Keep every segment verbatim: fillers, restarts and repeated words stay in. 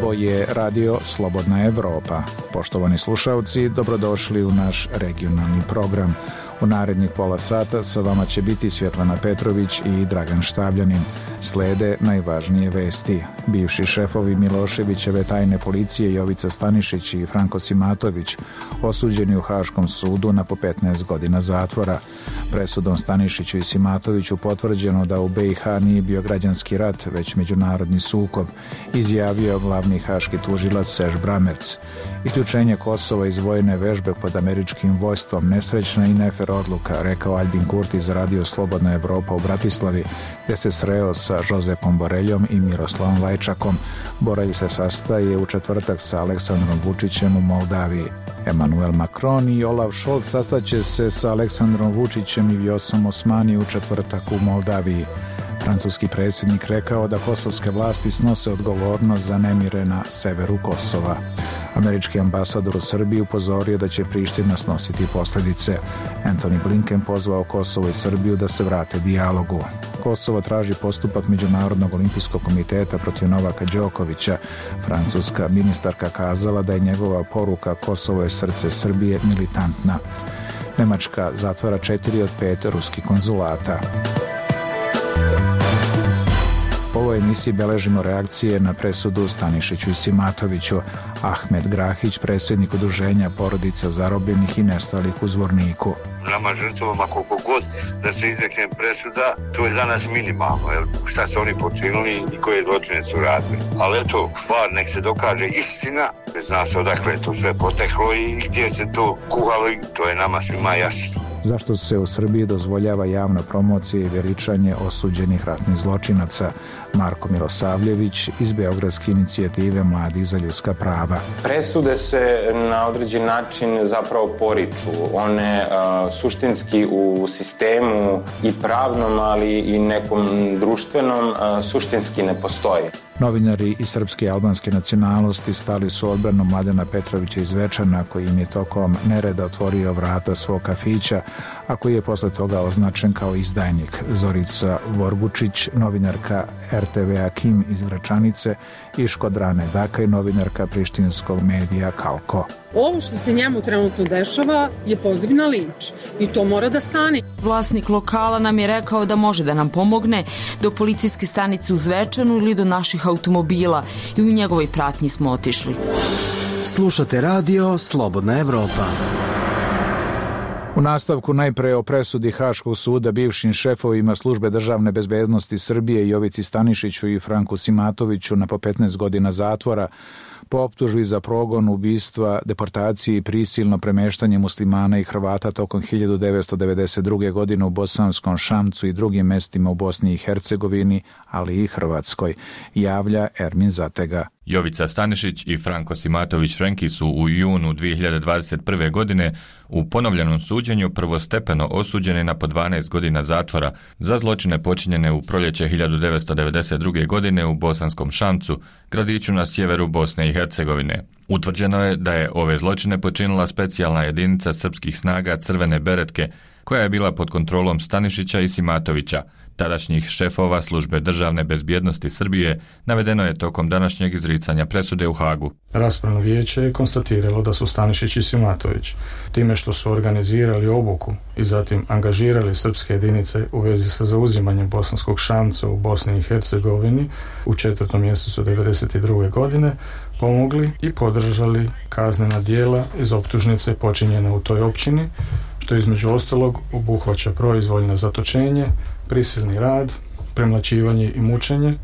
Ovo je Radio Slobodna Evropa. Poštovani slušalci, dobrodošli u naš regionalni program. U narednih pola sata sa vama će biti Svjetlana Petrović i Dragan Štavljanin. Slede najvažnije vesti. Bivši šefovi Miloševićeve tajne policije Jovica Stanišić i Franko Simatović osuđeni u Haškom sudu na po petnaest godina zatvora. Presudom Stanišiću i Simatoviću potvrđeno da u be i ha nije bio građanski rat, već međunarodni sukob, izjavio glavni haški tužilac Serž Bramerc. Isključenje Kosova iz vojne vežbe pod američkim vojstvom nesrećna i nefer odluka, rekao Albin Kurti za Radio Slobodna Evropa u Bratislavi, gdje se sreo sa Josepom Boreljom i Miroslavom Lajčakom. Borelj se sastaje u četvrtak sa Aleksandrom Vučićem u Moldaviji. Emmanuel Macron i Olaf Scholz sastaće se sa Aleksandrom Vučićem i Vjosom Osmani u četvrtak u Moldaviji. Francuski predsjednik rekao da kosovske vlasti snose odgovornost za nemire na severu Kosova. Američki ambasador u Srbiji upozorio da će Priština snositi posljedice. Antony Blinken pozvao Kosovo i Srbiju da se vrate dijalogu. Kosovo traži postupak Međunarodnog olimpijskog komiteta protiv Novaka Đokovića. Francuska ministarka kazala da je njegova poruka Kosovo je srce Srbije militantna. Nemačka zatvara četiri od pet ruskih konzulata. U ovoj emisiji beležimo reakcije na presudu Stanišiću i Simatoviću. Ahmed Grahić, predsjednik udruženja porodica zarobljenih i nestalih u Zvorniku. Nama žrtvama koliko god da se izrekne presuda, to je za nas minimalno. Jel? Šta su oni počinili i koje zločine su radili. Ali eto, stvar nek se dokaže istina, zna se odakle je to sve poteklo i gdje se to kuhalo, to je nama svima jasno. Zašto se u Srbiji dozvoljava javna promocija i veličanje osuđenih ratnih zločinaca? Marko Milosavljević iz Beogradske inicijative Mladih za ljudska prava. Presude se na određen način zapravo poriču. One uh, suštinski u sistemu i pravnom, ali i nekom društvenom uh, suštinski ne postoje. Novinari iz srpske i albanske nacionalnosti stali su odbranu Mladena Petrovića iz Zvečana, koji im je tokom nereda otvorio vrata svog kafića, a koji je posle toga označen kao izdajnik. Zorica Vorgučić, novinarka er te ve-a Kim iz Gračanice, i Škodrane Dakaj, novinarka prištinskog medija Kalko. Ovo što se njemu trenutno dešava je poziv na linč i to mora da stane. Vlasnik lokala nam je rekao da može da nam pomogne do policijske stanice u Zvečanu ili do naših automobila i u njegovoj pratnji smo otišli. Slušate Radio Slobodna Evropa. U nastavku najpre o presudi Haškog suda bivšim šefovima službe državne bezbednosti Srbije Jovici Stanišiću i Franku Simatoviću na po petnaest godina zatvora po optužbi za progon, ubistva, deportaciji i prisilno premeštanje muslimana i Hrvata tokom hiljadu devetsto devedeset druge. godine u Bosanskom Šamcu i drugim mestima u Bosni i Hercegovini, ali i Hrvatskoj, javlja Ermin Zatega. Jovica Stanišić i Franko Simatović Frenki su u junu dvije hiljade dvadeset prve. godine u ponovljenom suđenju prvostepeno osuđeni na po dvanaest godina zatvora za zločine počinjene u proljeće hiljadu devetsto devedeset druge. godine u Bosanskom Šamcu, gradiću na sjeveru Bosne i Hercegovine. Utvrđeno je da je ove zločine počinila specijalna jedinica srpskih snaga Crvene beretke, koja je bila pod kontrolom Stanišića i Simatovića, tadašnjih šefova službe državne bezbjednosti Srbije, navedeno je tokom današnjeg izricanja presude u Hagu. Raspravno vijeće je konstatiralo da su Stanišić i Simatović, time što su organizirali obuku i zatim angažirali srpske jedinice u vezi sa zauzimanjem Bosanskog Šamca u Bosni i Hercegovini u četvrtom mjesecu devedeset druge. godine, pomogli i podržali kaznena djela iz optužnice počinjene u toj općini, što između ostalog obuhvaća proizvoljno zatočenje, prisilni rad, premlaćivanje i mučenje,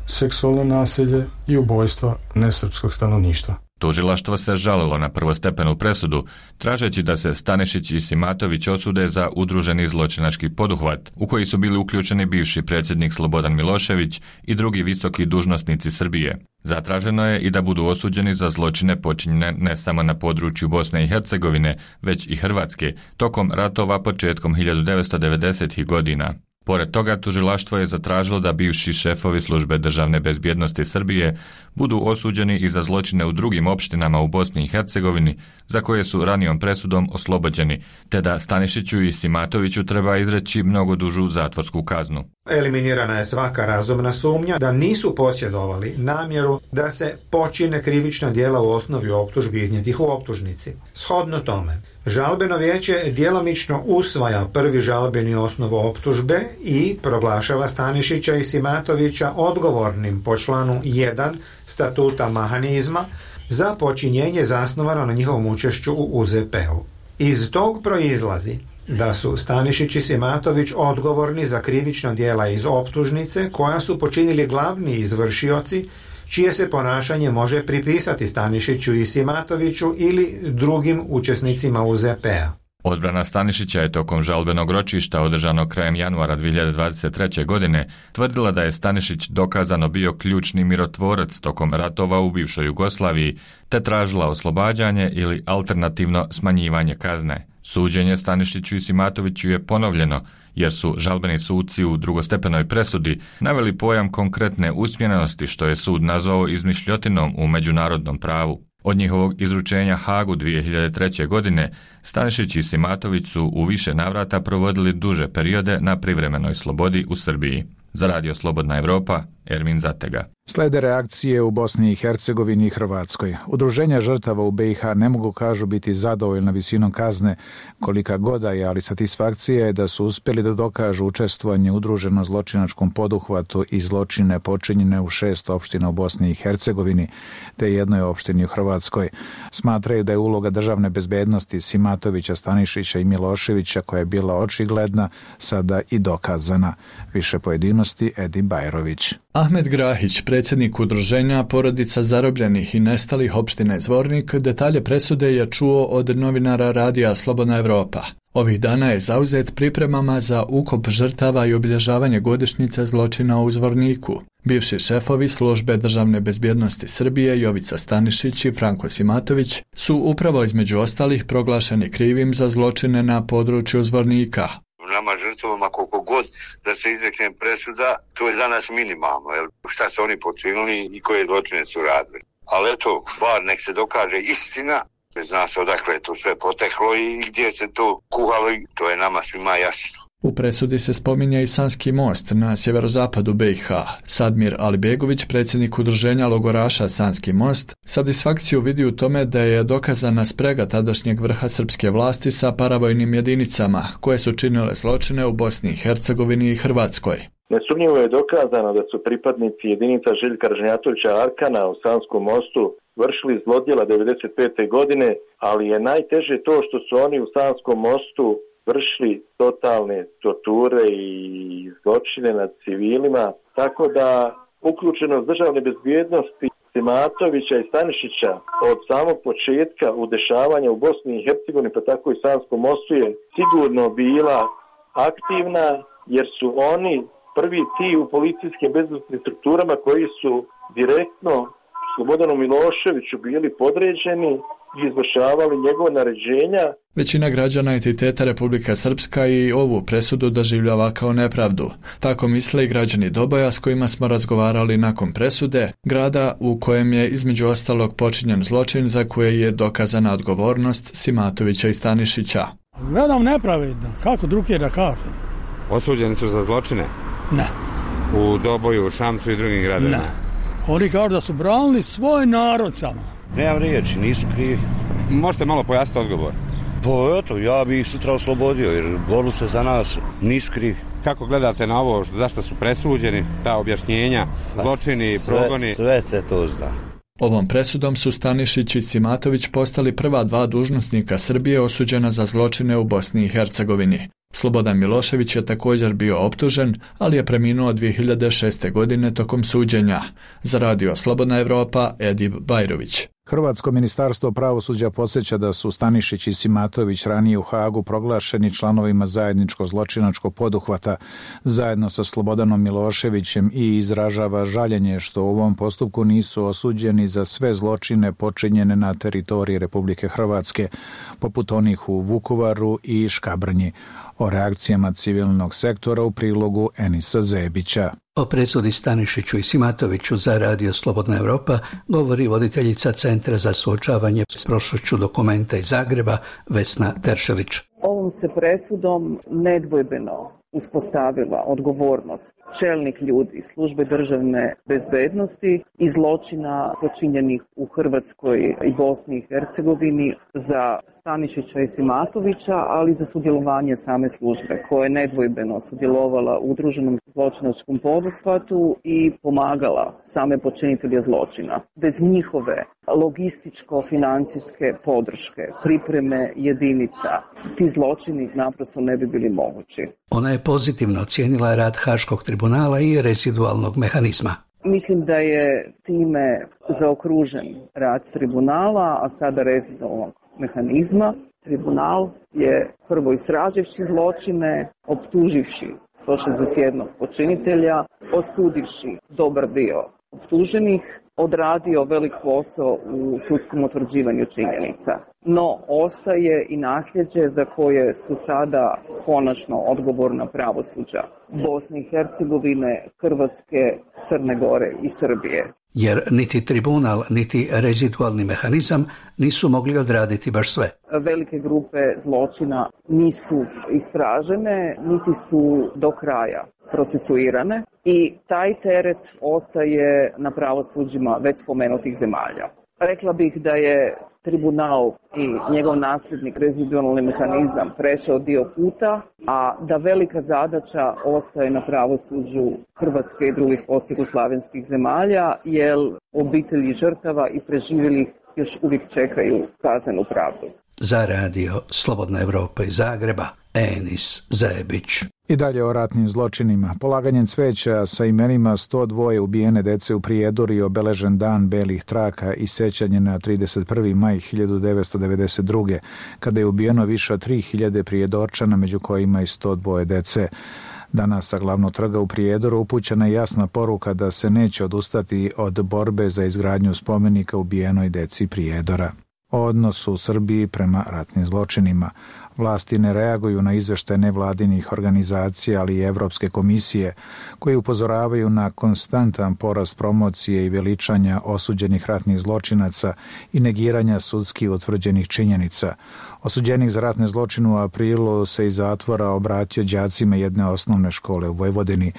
seksualno nasilje i ubojstva nesrpskog stanovništva. Tužilaštvo se žalilo na prvostepenu presudu, tražeći da se Stanišić i Simatović osude za udruženi zločinački poduhvat, u koji su bili uključeni bivši predsjednik Slobodan Milošević i drugi visoki dužnosnici Srbije. Zatraženo je i da budu osuđeni za zločine počinjene ne samo na području Bosne i Hercegovine, već i Hrvatske, tokom ratova početkom hiljadu devetsto devedesetih. godina. Pored toga, tužilaštvo je zatražilo da bivši šefovi službe državne bezbjednosti Srbije budu osuđeni i za zločine u drugim opštinama u Bosni i Hercegovini, za koje su ranijom presudom oslobođeni, te da Stanišiću i Simatoviću treba izreći mnogo dužu zatvorsku kaznu. Eliminirana je svaka razumna sumnja da nisu posjedovali namjeru da se počine krivična djela u osnovi optužbi iznijetih u optužnici. Shodno tome, žalbeno vijeće djelomično usvaja prvi žalbeni osnov optužbe i proglašava Stanišića i Simatovića odgovornim po članu jedan statuta mehanizma za počinjenje zasnovano na njihovom učešću u U Z P-u. Iz tog proizlazi da su Stanišić i Simatović odgovorni za krivična djela iz optužnice koja su počinili glavni izvršioci čije se ponašanje može pripisati Stanišiću i Simatoviću ili drugim učesnicima U Z P-a. Odbrana Stanišića je tokom žalbenog ročišta održanog krajem januara dvije hiljade dvadeset treće. godine tvrdila da je Stanišić dokazano bio ključni mirotvorac tokom ratova u bivšoj Jugoslaviji, te tražila oslobađanje ili alternativno smanjivanje kazne. Suđenje Stanišiću i Simatoviću je ponovljeno, jer su žalbeni suci u drugostepenoj presudi naveli pojam konkretne usmjerenosti, što je sud nazvao izmišljotinom u međunarodnom pravu. Od njihovog izručenja Hagu dvije hiljade treće. godine Stanišić i Simatović su u više navrata provodili duže periode na privremenoj slobodi u Srbiji. Za Radio Slobodna Evropa, Ermin Zatega. Slede reakcije u Bosni i Hercegovini i Hrvatskoj. Udruženja žrtava u B i H ne mogu, kažu, biti zadovoljna visinom kazne kolika goda je, ali satisfakcija je da su uspjeli da dokažu učestvovanje u udruženom zločinačkom poduhvatu i zločine počinjene u šest opština u Bosni i Hercegovini te jednoj opštini u Hrvatskoj. Smatraju da je uloga državne bezbednosti Simatovića, Stanišića i Miloševića, koja je bila očigledna, sada i dokazana. Više pojedinosti Edi Bajrović. Ahmed Grahić, predsjednik udruženja porodica zarobljenih i nestalih opštine Zvornik, detalje presude je čuo od novinara Radija Slobodna Evropa. Ovih dana je zauzet pripremama za ukop žrtava i obilježavanje godišnjice zločina u Zvorniku. Bivši šefovi službe državne bezbjednosti Srbije Jovica Stanišić i Franko Simatović su upravo između ostalih proglašeni krivim za zločine na području Zvornika. Nama žrtvama koliko god da se izrekne presuda, to je za nas minimalno. Jel? Šta su oni počinili i koje zločine su radili. Ali eto, bar nek se dokaže istina, zna se odakle je to sve poteklo i gdje se to kuhalo, to je nama svima jasno. U presudi se spominje i Sanski most na sjeverozapadu B i H. Sadmir Alibegović, predsjednik udruženja logoraša Sanski most, satisfakciju vidi u tome da je dokazana sprega tadašnjeg vrha srpske vlasti sa paravojnim jedinicama koje su činile zločine u Bosni i Hercegovini i Hrvatskoj. Nesumnjivo je dokazano da su pripadnici jedinica Željka Ražnjatovića Arkana u Sanskom mostu vršili zlodjela devedeset pete. godine, ali je najteže to što su oni u Sanskom mostu vršili totalne torture i zločine nad civilima, tako da uključenost državne bezbjednosti Simatovića i Stanišića od samog početka u dešavanja u Bosni i Hercegovini, pa tako i Sanskom mostu, je sigurno bila aktivna, jer su oni prvi ti u policijskim bezbednosnim strukturama koji su direktno Slobodanu Miloševiću bili podređeni i izvršavali njegove naređenja. Većina građana entiteta Republika Srpska i ovu presudu doživljava kao nepravdu. Tako misle i građani Doboja s kojima smo razgovarali nakon presude, grada u kojem je između ostalog počinjen zločin za koje je dokazana odgovornost Simatovića i Stanišića. Gledam nepravedno, kako drugi da kažem. Osuđeni su za zločine? Ne. U Doboju, u Šamcu i drugim gradovima? Ne. Oni kažu da su branili svoj narod samo. Nemam riječi, nisu krivi. Možete malo pojasniti odgovor? Pa eto, ja bih ih sutra oslobodio jer borili se za nas, nisu krivi. Kako gledate na ovo, zašto su presuđeni, ta objašnjenja, zločini, sve, progoni? Sve se to zna. Ovom presudom su Stanišić i Simatović postali prva dva dužnosnika Srbije osuđena za zločine u Bosni i Hercegovini. Slobodan Milošević je također bio optužen, ali je preminuo dvije hiljade šeste. godine tokom suđenja. Za Radio Slobodna Evropa, Edib Bajrović. Hrvatsko ministarstvo pravosuđa podsjeća da su Stanišić i Simatović ranije u Hagu proglašeni članovima zajedničkog zločinačkog poduhvata zajedno sa Slobodanom Miloševićem i izražava žaljenje što u ovom postupku nisu osuđeni za sve zločine počinjene na teritoriji Republike Hrvatske, poput onih u Vukovaru i Škabrnji. O reakcijama civilnog sektora u prilogu Enisa Zebića. O presudi Stanišiću i Simatoviću za Radio Slobodna Evropa govori voditeljica Centra za suočavanje s prošlošću Dokumenta iz Zagreba Vesna Teršelić. Ovo ovom se presudom nedvojbeno uspostavila odgovornost čelnih ljudi službe državne bezbednosti i zločina počinjenih u Hrvatskoj i Bosni i Hercegovini za Stanišića i Simatovića, ali za sudjelovanje same službe koja je nedvojbeno sudjelovala u udruženom zločinačkom poduhvatu i pomagala same počinitelje zločina. Bez njihove logističko-financijske podrške, pripreme jedinica, ti zločini naprosto ne bi bili mogući. Ona je pozitivno ocijenila rad Haškog tribunala i rezidualnog mehanizma. Mislim da je time zaokružen rad tribunala, a sada rezidualnog mehanizma. Tribunal je prvo istraživši zločine, optuživši sto šezdeset jedan počinitelja, osudivši dobar dio optuženih, odradio velik posao u sudskom utvrđivanju činjenica. No, ostaje i nasljeđe za koje su sada konačno odgovorna pravosuđa Bosne i Hercegovine, Hrvatske, Crne Gore i Srbije. Jer niti tribunal, niti rezidualni mehanizam nisu mogli odraditi baš sve. Velike grupe zločina nisu istražene, niti su do kraja procesuirane i taj teret ostaje na pravosuđima već spomenutih zemalja. Rekla bih da je tribunal i njegov nasljednik rezidualni mehanizam prešao dio puta, a da velika zadaća ostaje na pravosuđu Hrvatske i drugih postjugoslavenskih zemalja, jer obitelji žrtava i preživjelih još uvijek čekaju kaznenu pravdu. Za radio Slobodna Evropa iz Zagreba, Enis Zajebić. I dalje o ratnim zločinima. Polaganjem cveća sa imenima sto dva ubijene dece u Prijedoru i obeležen dan belih traka i sećanje na trideset prvi maj hiljadu devetsto devedeset druge. kada je ubijeno više od tri hiljade Prijedorčana, među kojima i sto dva dece. Danas sa glavnog trga u Prijedoru upućena je jasna poruka da se neće odustati od borbe za izgradnju spomenika ubijenoj deci Prijedora. O odnosu u Srbiji prema ratnim zločinima. Vlasti ne reaguju na izveštaje nevladinih organizacija, ali i Evropske komisije, koje upozoravaju na konstantan porast promocije i veličanja osuđenih ratnih zločinaca i negiranja sudski utvrđenih činjenica. Osuđenik za ratne zločine u aprilu se iz zatvora obratio đacima jedne osnovne škole u Vojvodini.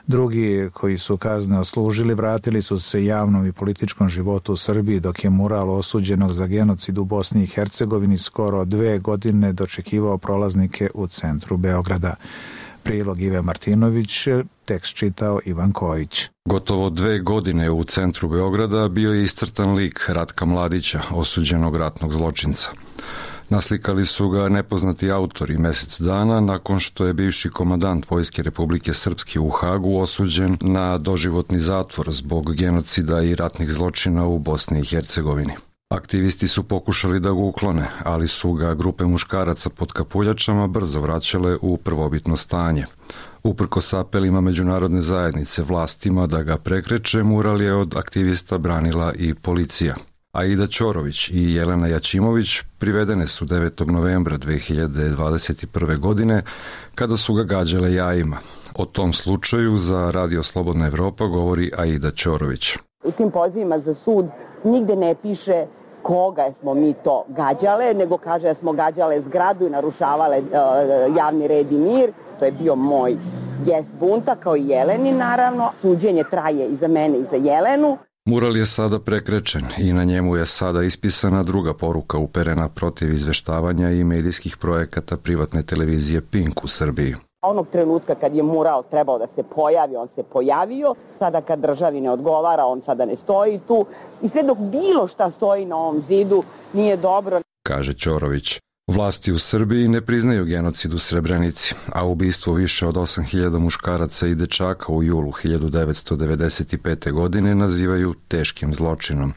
Drugi, koji su kazne odslužili, vratili su se javnom i političkom životu u Srbiji, dok je mural osuđenog za genocid u Bosni i Hercegovini skoro dve godine dočekivao prolaznike u centru Beograda. Prilog Ive Martinović, tekst čitao Ivan Kojić. Gotovo dve godine u centru Beograda bio je iscrtan lik Ratka Mladića, osuđenog ratnog zločinca. Naslikali su ga nepoznati autori mjesec dana nakon što je bivši komandant Vojske Republike Srpske u Hagu osuđen na doživotni zatvor zbog genocida i ratnih zločina u Bosni i Hercegovini. Aktivisti su pokušali da ga uklone, ali su ga grupe muškaraca pod kapuljačama brzo vraćale u prvobitno stanje. Uprkos apelima međunarodne zajednice vlastima da ga prekreče, mural je od aktivista branila i policija. Aida Ćorović i Jelena Jačimović privedene su devetog novembra dve hiljade dvadeset prve. godine kada su ga gađale jajima. O tom slučaju za Radio Slobodna Evropa govori Aida Ćorović. U tim pozivima za sud nigde ne piše koga smo mi to gađale, nego kaže da smo gađale zgradu i narušavale uh, javni red i mir. To je bio moj gest bunta, kao i Jeleni naravno. Suđenje traje i za mene i za Jelenu. Mural je sada prekrečen i na njemu je sada ispisana druga poruka uperena protiv izveštavanja i medijskih projekata privatne televizije Pink u Srbiji. Onog trenutka kad je mural trebao da se pojavi, on se pojavio. Sada kad državi ne odgovara, on sada ne stoji tu. I sve dok bilo šta stoji na ovom zidu nije dobro, kaže Ćorović. Vlasti u Srbiji ne priznaju genocid u Srebrenici, a ubistvo više od osam hiljada muškaraca i dečaka u julu hiljadu devetsto devedeset pete. godine nazivaju teškim zločinom.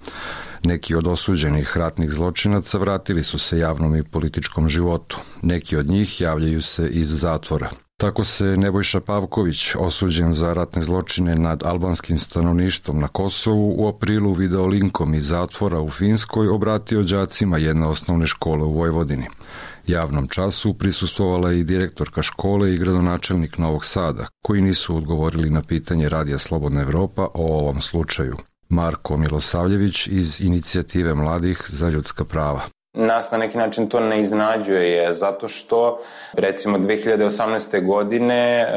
Neki od osuđenih ratnih zločinaca vratili su se javnom i političkom životu. Neki od njih javljaju se iz zatvora. Tako se Nebojša Pavković, osuđen za ratne zločine nad albanskim stanovništvom na Kosovu, u aprilu video linkom iz zatvora u Finskoj obratio đacima jedne osnovne škole u Vojvodini. Javnom času prisustvovala i direktorka škole i gradonačelnik Novog Sada, koji nisu odgovorili na pitanje Radija Slobodna Evropa o ovom slučaju. Marko Milosavljević iz Inicijative mladih za ljudska prava. Nas na neki način to ne iznenađuje, zato što recimo dve hiljade osamnaeste. godine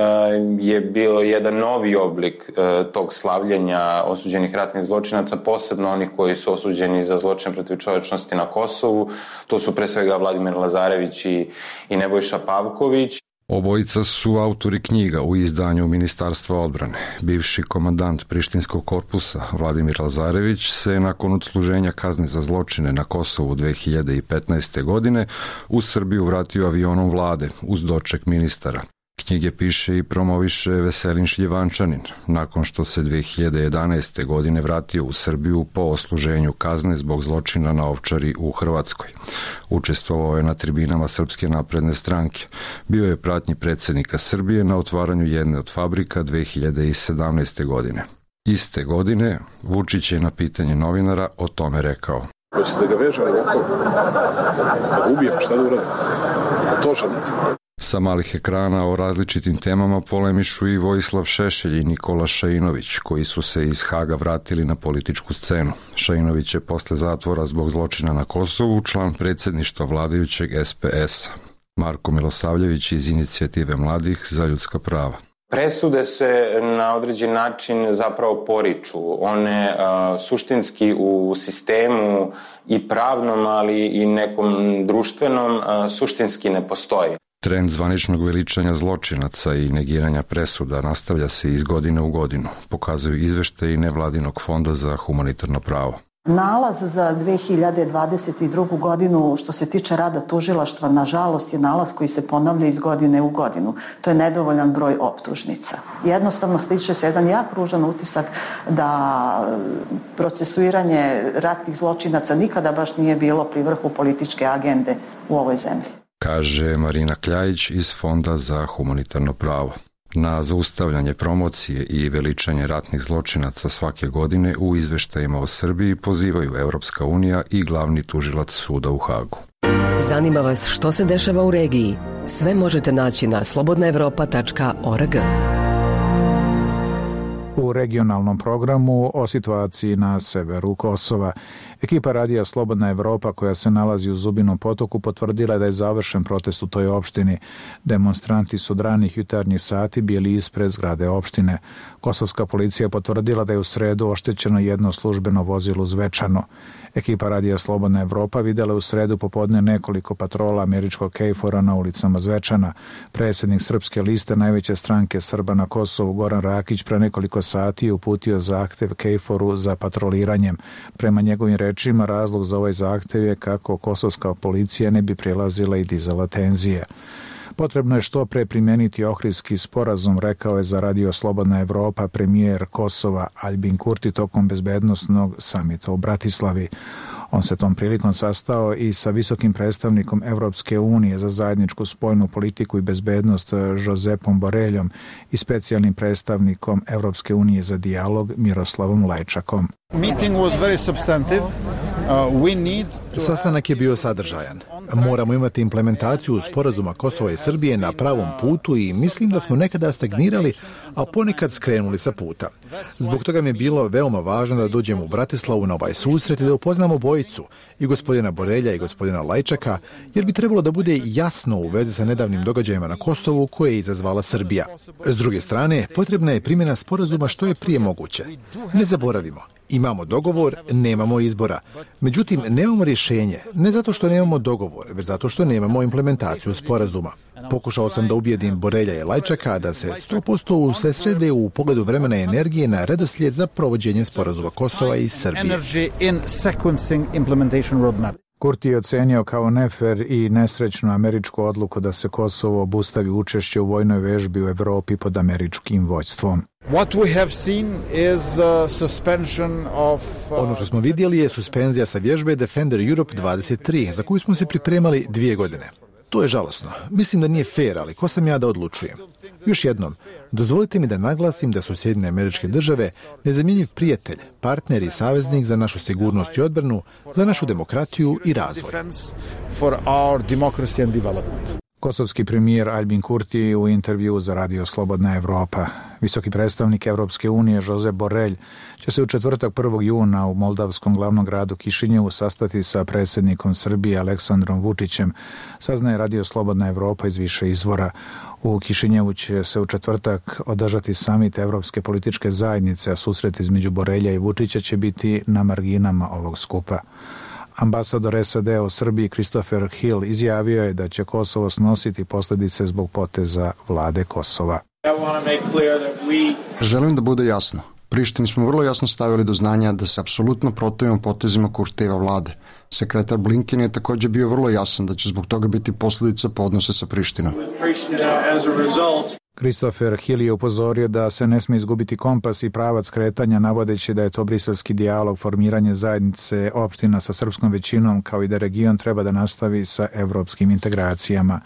je bilo jedan novi oblik tog slavljenja osuđenih ratnih zločinaca, posebno oni koji su osuđeni za zločine protiv čovječnosti na Kosovu. To su pre svega Vladimir Lazarević i, i Nebojša Pavković. Obojica su autori knjiga u izdanju Ministarstva odbrane. Bivši komandant Prištinskog korpusa Vladimir Lazarević se nakon odsluženja kazne za zločine na Kosovu dve hiljade petnaeste. godine u Srbiju vratio avionom vlade uz doček ministara. Knjige piše i promoviše Veselin Šljivančanin, nakon što se dve hiljade jedanaeste. godine vratio u Srbiju po odsluženju kazne zbog zločina na Ovčari u Hrvatskoj. Učestvovao je na tribinama Srpske napredne stranke. Bio je pratnji predsjednika Srbije na otvaranju jedne od fabrika dve hiljade sedamnaeste. godine. Iste godine Vučić je na pitanje novinara o tome rekao: Hoćete da ga vežem ovako? Da ubijem, šta da uradim? To želite. Sa malih ekrana o različitim temama polemišu i Vojislav Šešelj i Nikola Šainović, koji su se iz Haga vratili na političku scenu. Šainović je posle zatvora zbog zločina na Kosovu član predsjedništva vladajućeg S P S-a. Marko Milosavljević iz Inicijative mladih za ljudska prava. Presude se na određen način zapravo poriču. One uh, suštinski u sistemu i pravnom, ali i nekom društvenom uh, suštinski ne postoji. Trend zvaničnog veličanja zločinaca i negiranja presuda nastavlja se iz godine u godinu, pokazuju izveštaji nevladinog fonda za humanitarno pravo. Nalaz za dve hiljade dvadeset drugu. godinu što se tiče rada tužilaštva, nažalost, je nalaz koji se ponavlja iz godine u godinu. To je nedovoljan broj optužnica. Jednostavno stiče se jedan jak ružan utisak da procesuiranje ratnih zločinaca nikada baš nije bilo pri vrhu političke agende u ovoj zemlji, kaže Marina Kljajić iz Fonda za humanitarno pravo. Na zaustavljanje promocije i veličanje ratnih zločinaca svake godine u izveštajima o Srbiji pozivaju Evropska unija i glavni tužilac suda u Hagu. Zanima vas što se dešava u regiji? Sve možete naći na slobodna evropa tačka org. U regionalnom programu o situaciji na severu Kosova. Ekipa radija Slobodna Evropa, koja se nalazi u Zubinom Potoku, potvrdila da je završen protest u toj opštini. Demonstranti su od ranih jutarnjih sati bili ispred zgrade opštine. Kosovska policija je potvrdila da je u sredu oštećeno jedno službeno vozilo u Zvečanu. Ekipa radija Slobodna Evropa videla u sredu popodne nekoliko patrola američkog Kejfora na ulicama Zvečana. Predsjednik Srpske liste, najveće stranke Srba na Kosovu, Goran Rakić, pre nekoliko sati je uputio zahtev Kejforu za patroliranjem. Prema njegovim rečima, razlog za ovaj zahtev je kako kosovska policija ne bi prelazila i dizala tenzije. Potrebno je što pre primeniti Ohridski sporazum, rekao je za radio Slobodna Evropa premijer Kosova Aljbin Kurti tokom bezbednosnog samita u Bratislavi. On se tom prilikom sastao i sa visokim predstavnikom Evropske unije za zajedničku spoljnu politiku i bezbednost Josepom Boreljom i specijalnim predstavnikom Evropske unije za dijalog Miroslavom Lajčakom. Meeting was very substantive. Uh, we need to... Sastanak je bio sadržajan. Moramo imati implementaciju sporazuma Kosova i Srbije na pravom putu i mislim da smo nekada stagnirali, a ponekad skrenuli sa puta. Zbog toga mi je bilo veoma važno da dođemo u Bratislavu na ovaj susret i da upoznamo bojicu, i gospodina Borelja i gospodina Lajčaka, jer bi trebalo da bude jasno u vezi sa nedavnim događajima na Kosovu koje je izazvala Srbija. S druge strane, potrebna je primjena sporazuma što je prije moguće. Ne zaboravimo, imamo dogovor, nemamo izbora. Međutim, nemamo rješenje, ne zato što nemamo dogovor, već zato što nemamo implementaciju sporazuma. Pokušao sam da ubijedim Borelja i Lajčaka da se sto posto usredsrede u pogledu vremena i energije na redoslijed za provođenje sporazuma Kosova i Srbije. Kurti je ocenio kao nefer i nesrećnu američku odluku da se Kosovo obustavi učešće u vojnoj vežbi u Evropi pod američkim vođstvom. What we have seen is a suspension of, uh... Ono što smo vidjeli je suspenzija sa vježbe Defender Europe dvadeset tri, za koju smo se pripremali dvije godine. To je žalosno. Mislim da nije fair, ali ko sam ja da odlučujem? Još jednom, dozvolite mi da naglasim da su Sjedinjene Američke Države nezamjenjiv prijatelj, partner i saveznik za našu sigurnost i odbranu, za našu demokratiju i razvoj. Kosovski premijer Aljbin Kurti u intervju za Radio Slobodna Evropa. Visoki predstavnik Evropske unije Josep Borrell će se u četvrtak prvog juna u moldavskom glavnom gradu Kišinjevu sastati sa predsjednikom Srbije Aleksandrom Vučićem, saznaje Radio Slobodna Evropa iz više izvora. U Kišinjevu će se u četvrtak održati samit Evropske političke zajednice, a susret između Borelja i Vučića će biti na marginama ovog skupa. Ambasador S A D u Srbiji Christopher Hill izjavio je da će Kosovo snositi posljedice zbog poteza vlade Kosova. Želim da bude jasno. Prištini smo vrlo jasno stavili do znanja da se apsolutno protivimo potezima Kurtijeva vlade. Sekretar Blinken je također bio vrlo jasan da će zbog toga biti posljedica po odnose sa Prištinom. Christopher Hill je upozorio da se ne smije izgubiti kompas i pravac kretanja, navodeći da je to briselski dijalog, formiranje zajednice opština sa srpskom većinom, kao i da region treba da nastavi sa evropskim integracijama.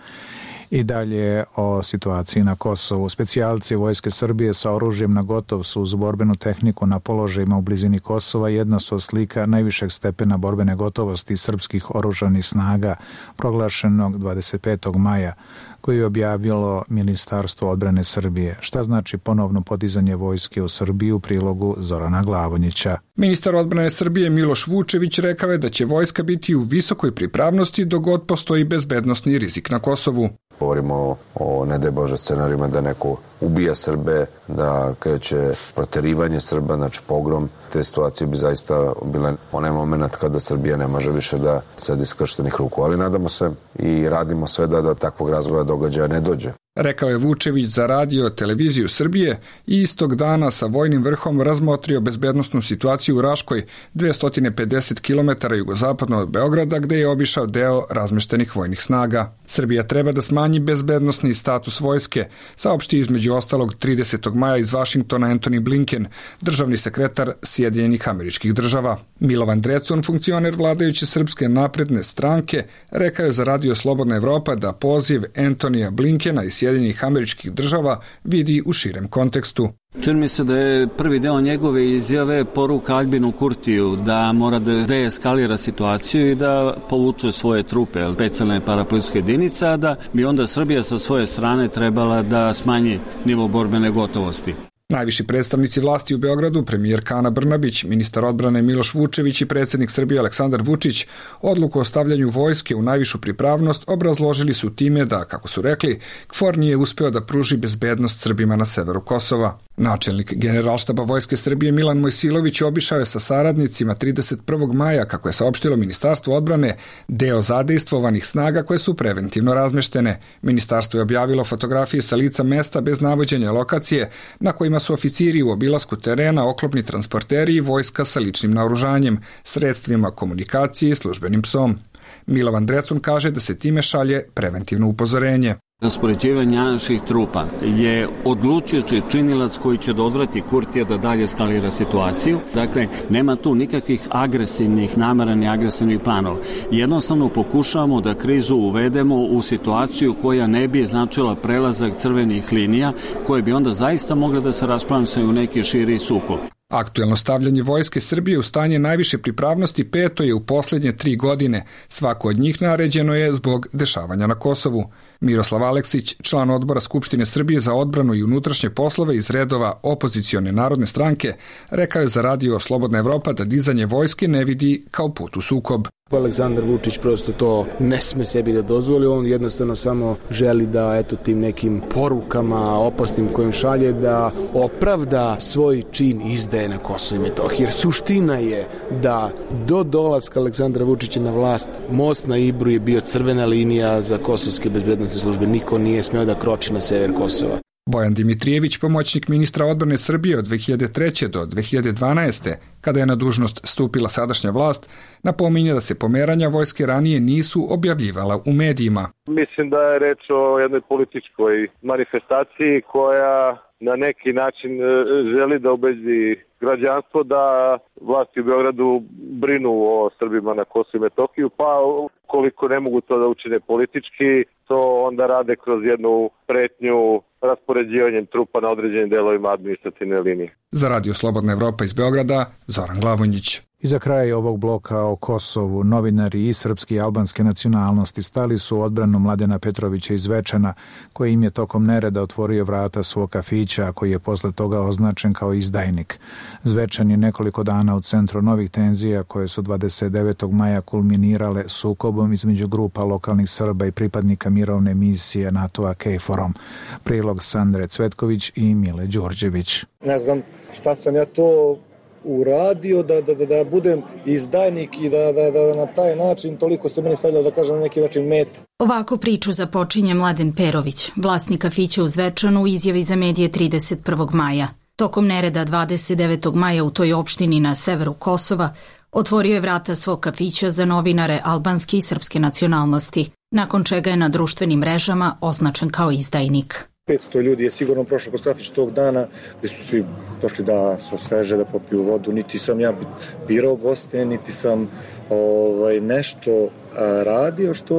I dalje o situaciji na Kosovu. Specijalci Vojske Srbije sa oružjem na gotov su uz borbenu tehniku na položajima u blizini Kosova jedna su od slika najvišeg stepena borbene gotovosti srpskih oružanih snaga proglašenog dvadeset petog maja, koji je objavilo Ministarstvo odbrane Srbije. Šta znači ponovno podizanje vojske u Srbiji u prilogu Zorana Glavonjića? Ministar odbrane Srbije Miloš Vučević rekao je da će vojska biti u visokoj pripravnosti dok god postoji bezbednosni rizik na Kosovu. Govorimo o, ne daj Bože, scenarijima da neko ubija Srbe, da kreće proterivanje Srba, znači pogrom. Te situacije bi zaista bile onaj moment kada Srbija ne može više da sedi skrštenih ruku. Ali nadamo se i radimo sve da do takvog razvoja događaja ne dođe. Rekao je Vučević za radio televiziju Srbije i istog dana sa vojnim vrhom razmotrio bezbednosnu situaciju u Raškoj, dvesta pedeset kilometara jugozapadno od Beograda, gde je obišao deo razmeštenih vojnih snaga. Srbija treba da smanji bezbednosni status vojske, saopšti između ostalog tridesetog maja iz Vašingtona Antony Blinken, državni sekretar Sjedinjenih Američkih Država. Milovan Drecun, funkcioner vladajuće Srpske napredne stranke, rekao je za Radio Slobodna Evropa da poziv Antonija Blinkena iz Sjedinjenih Američkih Država vidi u širem kontekstu. Čini mi se da je prvi deo njegove izjave poruka Aljbinu Kurtiju da mora da deeskalira situaciju i da povuče svoje trupe, specijalne parapolicijske jedinice, a da bi onda Srbija sa svoje strane trebala da smanji nivo borbene gotovosti. Najviši predstavnici vlasti u Beogradu, premijerka Ana Brnabić, ministar odbrane Miloš Vučević i predsjednik Srbije Aleksandar Vučić, odluku o stavljanju vojske u najvišu pripravnost obrazložili su time da, kako su rekli, KFOR nije uspeo da pruži bezbednost Srbima na severu Kosova. Načelnik Generalštaba Vojske Srbije Milan Mojsilović obišao je sa saradnicima trideset prvog maja, kako je saopštilo Ministarstvo odbrane, deo zadejstvovanih snaga koje su preventivno razmeštene. Ministarstvo je objavilo fotografije sa lica mesta bez navođenja lokacije, na kojima su oficiri u obilasku terena, oklopni transporteri i vojska sa ličnim naoružanjem, sredstvima komunikacije i službenim psom. Milovan Drecun kaže da se time šalje preventivno upozorenje. Raspoređivanje naših trupa je odlučujući činilac koji će da odvrati Kurtija da dalje eskalira situaciju. Dakle, nema tu nikakvih agresivnih namera ni agresivnih planova. Jednostavno pokušavamo da krizu uvedemo u situaciju koja ne bi značila prelazak crvenih linija, koje bi onda zaista mogle da se rasplamsaju u neki širi sukob. Aktuelno stavljanje vojske Srbije u stanje najviše pripravnosti peto je u posljednje tri godine. Svako od njih naređeno je zbog dešavanja na Kosovu. Miroslav Aleksić, član odbora Skupštine Srbije za odbranu i unutrašnje poslove iz redova opozicione narodne stranke, rekao je za Radio Slobodna Evropa da dizanje vojske ne vidi kao put u sukob. Aleksandar Vučić prosto to ne sme sebi da dozvoli, on jednostavno samo želi da eto tim nekim porukama opasnim kojim šalje da opravda svoj čin izdaje na Kosovo i Metohiji. Jer suština je da do dolaska Aleksandra Vučića na vlast most na Ibru je bio crvena linija za kosovske bezbednosne službe. Niko nije smeo da kroči na sever Kosova. Bojan Dimitrijević, pomoćnik ministra odbrane Srbije od dve hiljade treće do dve hiljade dvanaeste, kada je na dužnost stupila sadašnja vlast, napominje da se pomeranja vojske ranije nisu objavljivala u medijima. Mislim da je reč o jednoj političkoj manifestaciji koja na neki način želi da ubedi građanstvo da vlasti u Beogradu brinu o Srbima na Kosovu i Metohiju, pa koliko ne mogu to da učine politički, to onda rade kroz jednu pretnju raspoređivanjem trupa na određenim delovima administrativne linije. Za Radio Slobodna Evropa iz Beograda, Zoran Glavonjić. I za kraj ovog bloka o Kosovu, novinari i srpske i albanske nacionalnosti stali su u odbranu Mladena Petrovića iz Zvečana, koji im je tokom nereda otvorio vrata svog kafića, a koji je posle toga označen kao izdajnik. Zvečan je nekoliko dana u centru novih tenzija koje su dvadeset devetog maja kulminirale sukobom između grupa lokalnih Srba i pripadnika mirovne misije NATO-a KFOR-om. Prilog Sandre Cvetković i Mile Đurđević. Ne znam šta sam ja to uradio da, da, da, da budem izdajnik i da, da, da na taj način toliko se meni stavljalo, da kažem, na neki način meta. Ovako priču započinje Mladen Perović, vlasnik kafića u Zvečanu, u izjavi za medije trideset prvog maja. Tokom nereda dvadeset devetog maja u toj opštini na severu Kosova otvorio je vrata svog kafića za novinare albanske i srpske nacionalnosti, nakon čega je na društvenim mrežama označen kao izdajnik. petsto ljudi je sigurno prošlo kroz kafić tog dana, gde su svi došli da se osveže, da popiju vodu. Niti sam ja birao goste, niti sam ovaj, nešto a, radio što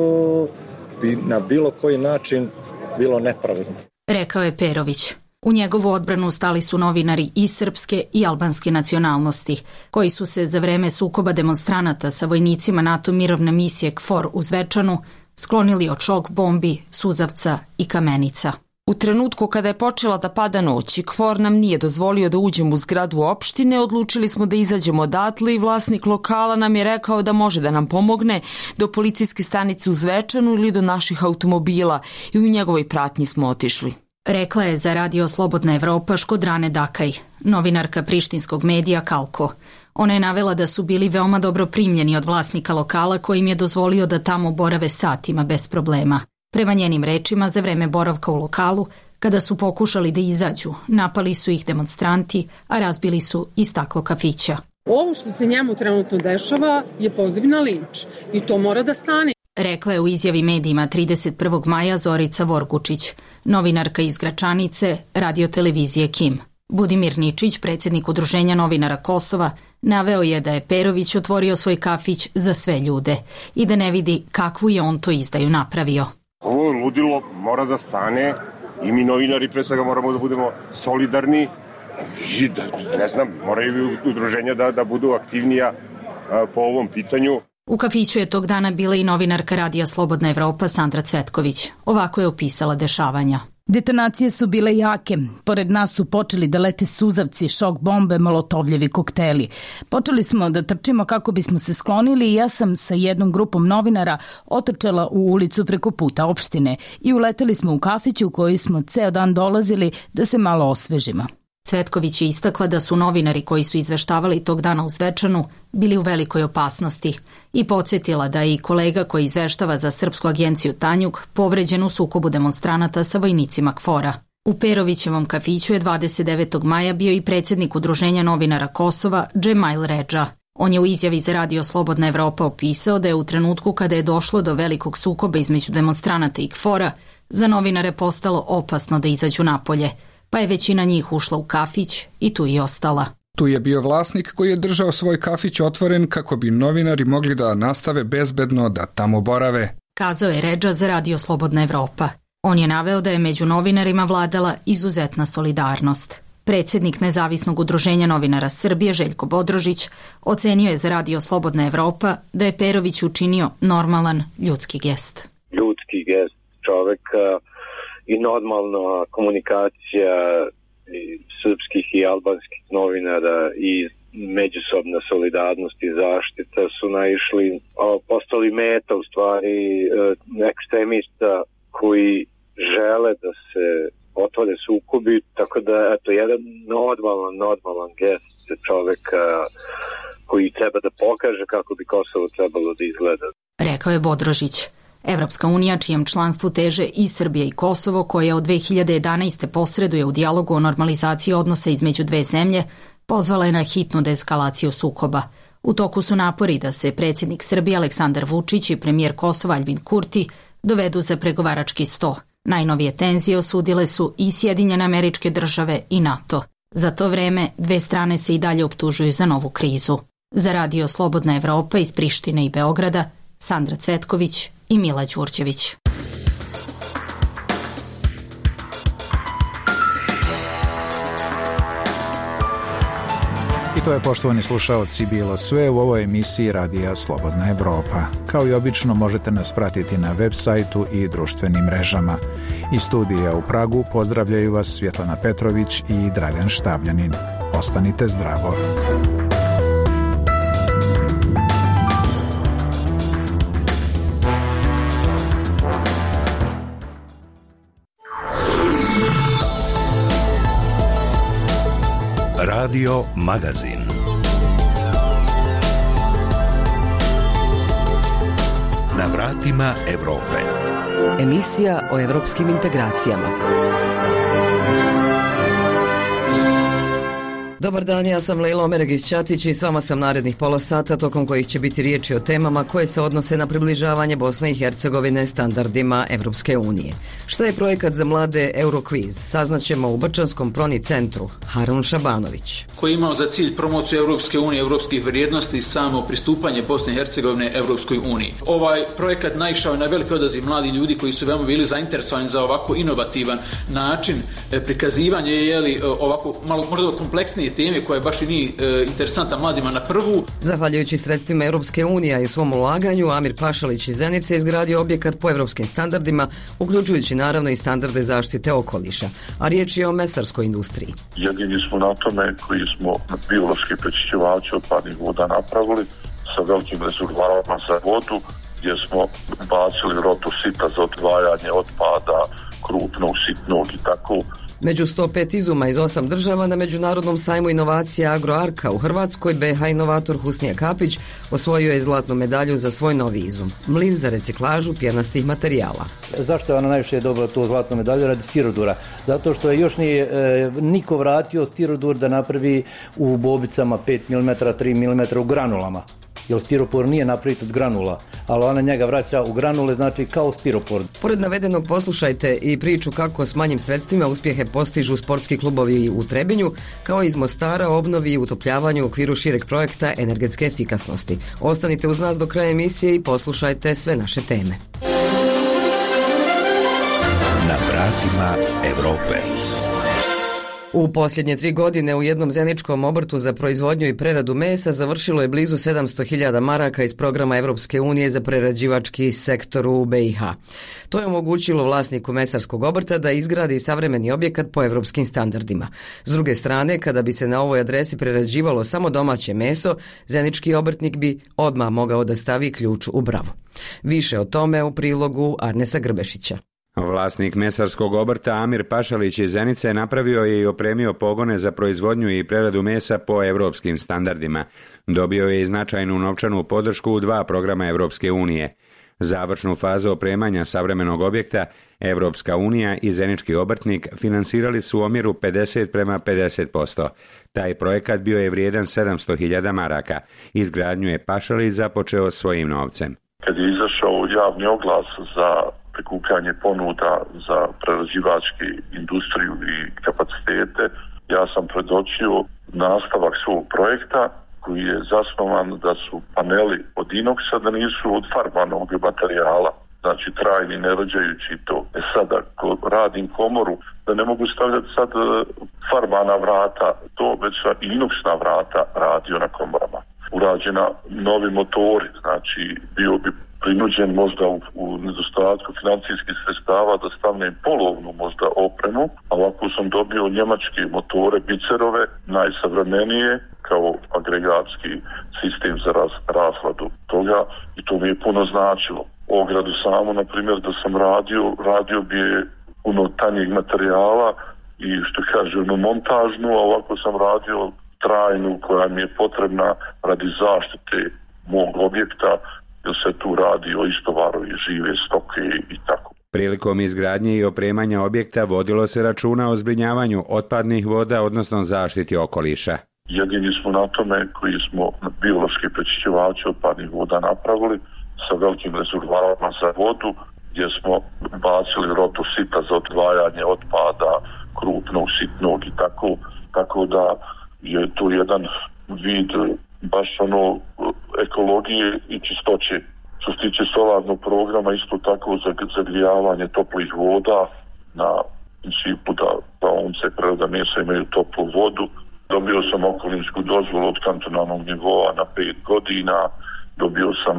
bi na bilo koji način bilo nepravedno. Rekao je Perović. U njegovu odbranu stali su novinari i srpske i albanske nacionalnosti, koji su se za vreme sukoba demonstranata sa vojnicima NATO mirovne misije KFOR u Zvečanu sklonili od šok bombi, suzavca i kamenica. U trenutku kada je počela da pada noć i KFOR nam nije dozvolio da uđemo u zgradu opštine, odlučili smo da izađemo odatle i vlasnik lokala nam je rekao da može da nam pomogne do policijske stanice u Zvečanu ili do naših automobila i u njegovoj pratnji smo otišli. Rekla je za radio Slobodna Evropa Škodrane Dakaj, novinarka prištinskog medija Kalko. Ona je navela da su bili veoma dobro primljeni od vlasnika lokala koji im je dozvolio da tamo borave satima bez problema. Prema njenim rečima, za vreme boravka u lokalu, kada su pokušali da izađu, napali su ih demonstranti, a razbili su i staklo kafića. Ovo što se njemu trenutno dešava je poziv na linč i to mora da stane. Rekla je u izjavi medijima trideset prvog maja Zorica Vorgučić, novinarka iz Gračanice, radiotelevizije Kim. Budimir Ničić, predsjednik Udruženja novinara Kosova, naveo je da je Perović otvorio svoj kafić za sve ljude i da ne vidi kakvu je on to izdaju napravio. Ovo ludilo mora da stane i mi novinari pre svega moramo da budemo solidarni i da, ne znam, moraju udruženja da, da budu aktivnija a, po ovom pitanju. U kafiću je tog dana bila i novinarka radija Slobodna Evropa Sandra Cvetković. Ovako je opisala dešavanja. Detonacije su bile jake. Pored nas su počeli da lete suzavci, šok bombe, molotovljevi kokteli. Počeli smo da trčimo kako bismo se sklonili i ja sam sa jednom grupom novinara otrčala u ulicu preko puta opštine i uleteli smo u kafić u koji smo ceo dan dolazili da se malo osvežimo. Cvetković je istakla da su novinari koji su izveštavali tog dana u Zvečanu bili u velikoj opasnosti i podsjetila da je i kolega koji izveštava za srpsku agenciju Tanjug povređen u sukobu demonstranata sa vojnicima KFOR-a. U Perovićevom kafiću je dvadeset devetog maja bio i predsjednik Udruženja novinara Kosova Džemail Redža. On je u izjavi za radio Slobodna Evropa opisao da je u trenutku kada je došlo do velikog sukoba između demonstranata i KFOR-a za novinare postalo opasno da izađu napolje, pa je većina njih ušla u kafić i tu i ostala. Tu je bio vlasnik koji je držao svoj kafić otvoren kako bi novinari mogli da nastave bezbedno da tamo borave. Kazao je Redža za radio Slobodna Evropa. On je naveo da je među novinarima vladala izuzetna solidarnost. Predsjednik Nezavisnog udruženja novinara Srbije Željko Bodrožić ocenio je za radio Slobodna Evropa da je Perović učinio normalan ljudski gest. Ljudski gest čoveka i normalna komunikacija i srpskih i albanskih novinara i međusobna solidarnost i zaštita su naišli, postali meta u stvari ekstremista koji žele da se otvore sukobi, tako da eto jedan normalan, normalan gest čoveka koji treba da pokaže kako bi Kosovo trebalo da izgleda. Rekao je Bodrožić. Evropska unija, čijem članstvu teže i Srbija i Kosovo, koja od dve hiljade jedanaeste posreduje u dijalogu o normalizaciji odnosa između dve zemlje, pozvala je na hitnu deeskalaciju sukoba. U toku su napori da se predsjednik Srbije Aleksandar Vučić i premijer Kosova Aljbin Kurti dovedu za pregovarački sto. Najnovije tenzije osudile su i Sjedinjene Američke Države i NATO. Za to vreme dve strane se i dalje optužuju za novu krizu. Za radio Slobodna Evropa iz Prištine i Beograda, Sandra Cvetković i Mila Đurđević. I to je, poštovani slušaoci, bilo sve u ovoj emisiji Radija Slobodna Evropa. Kao i obično možete nas pratiti na web sajtu i društvenim mrežama. Iz studija u Pragu pozdravljaju vas Svjetlana Petrović i Dragan Štabljanin. Ostanite zdravo. Radio Magazin. Na vratima Evrope. Emisija o evropskim integracijama. Dobar dan, ja sam Lejla Omeregić-Ćatić i s vama sam narednih pola sata, tokom kojih će biti riječi o temama koje se odnose na približavanje Bosne i Hercegovine standardima Evropske unije. Šta je projekat za mlade Eurokviz? Saznaćemo u Brčanskom Proni centru. Harun Šabanović. Koji je imao za cilj promociju Evropske unije, evropskih vrijednosti i samo pristupanje Bosne i Hercegovine Evropskoj uniji. Ovaj projekat naišao je na veliki odaziv mladih ljudi koji su veoma bili zainteresovani za ovako inovativan način prikazivanja, jeli, ovako malo možda kompleksnije teme koja je baš i nije e, interesantna mladima na prvu. Zahvaljujući sredstvima Europske unije i svom ulaganju, Amir Pašalić iz Zenice izgradio objekat po evropskim standardima, uključujući naravno i standarde zaštite okoliša. A riječ je o mesarskoj industriji. Jedini smo na tome koji smo biološki prečišćivači otpadnih voda napravili sa velikim rezervoarima za vodu, gdje smo bacili rotu sita za odvajanje otpada, krupnog, sitnog i tako. Među sto pet izuma iz osam država na Međunarodnom sajmu inovacija Agroarka u Hrvatskoj, B H inovator Husnija Kapić osvojio je zlatnu medalju za svoj novi izum, mlin za reciklažu pjenastih materijala. Zašto je ona najviše dobila tu zlatnu medalju? Radi stirodura. Zato što je još nije e, niko vratio stirodur da napravi u bobicama pet milimetara, tri milimetra u granulama. Jer stiropor nije napravit od granula, ali ona njega vraća u granule, znači kao stiropor. Pored navedenog poslušajte i priču kako s manjim sredstvima uspjehe postižu sportski klubovi u Trebinju, kao iz Mostara obnovi i utopljavanju u okviru šireg projekta energetske efikasnosti. Ostanite uz nas do kraja emisije i poslušajte sve naše teme. Na vratima Evrope. U posljednje tri godine u jednom zeničkom obrtu za proizvodnju i preradu mesa završilo je blizu sedamsto hiljada maraka iz programa Evropske unije za prerađivački sektor u B i H. To je omogućilo vlasniku mesarskog obrta da izgradi savremeni objekat po evropskim standardima. S druge strane, kada bi se na ovoj adresi prerađivalo samo domaće meso, zenički obrtnik bi odmah mogao da stavi ključ u bravu. Više o tome u prilogu Arnesa Grbešića. Vlasnik mesarskog obrta Amir Pašalić iz Zenice napravio je i opremio pogone za proizvodnju i preradu mesa po evropskim standardima. Dobio je i značajnu novčanu podršku u dva programa Evropske unije. Završnu fazu opremanja savremenog objekta Evropska unija i zenički obrtnik finansirali su u omjeru pedeset prema pedeset posto. Taj projekat bio je vrijedan sedamsto hiljada maraka. Izgradnju je Pašalić započeo svojim novcem. Kad je izašao javni oglas za prikupljanje ponuda za prerađivački industriju i kapacitete, ja sam predočio nastavak svog projekta koji je zasnovan da su paneli od inoksa, da nisu od farbanog materijala, znači trajni, ne rađajući to. E sada, ko radim komoru, da ne mogu stavljati sad farbana vrata, to već i inoksna vrata radio na komorama. Urađena novi motori, znači bio bi prinuđen možda u, u nedostatku financijskih sredstava da stavnem polovnu možda opremu, a ovako sam dobio njemačke motore, bicerove, najsavremenije, kao agregatski sistem za raz, razladu toga, i to mi je puno značilo. Ogradu samo, na primjer, da sam radio, radio bi je puno tanjeg materijala i što kaže, ono montažnu, a ovako sam radio trajnu koja mi je potrebna radi zaštite mog objekta, jer se tu radi o istovaru i žive stoke i tako. Prilikom izgradnje i opremanja objekta vodilo se računa o zbrinjavanju otpadnih voda, odnosno zaštiti okoliša. Jedini smo na tome koji smo biološki prečišćivači otpadnih voda napravili sa velikim rezervoarima za vodu, gdje smo bacili rotu sita za odvajanje otpada, krupnog, sitnog i tako, tako da je to jedan vid baš ono ekologije i čistoće. Što se tiče solarnog programa, isto tako za zagrijavanje toplih voda na principu da, da once prerada mesa imaju toplu vodu. Dobio sam okolinsku dozvolu od kantonalnog nivoa na pet godina, dobio sam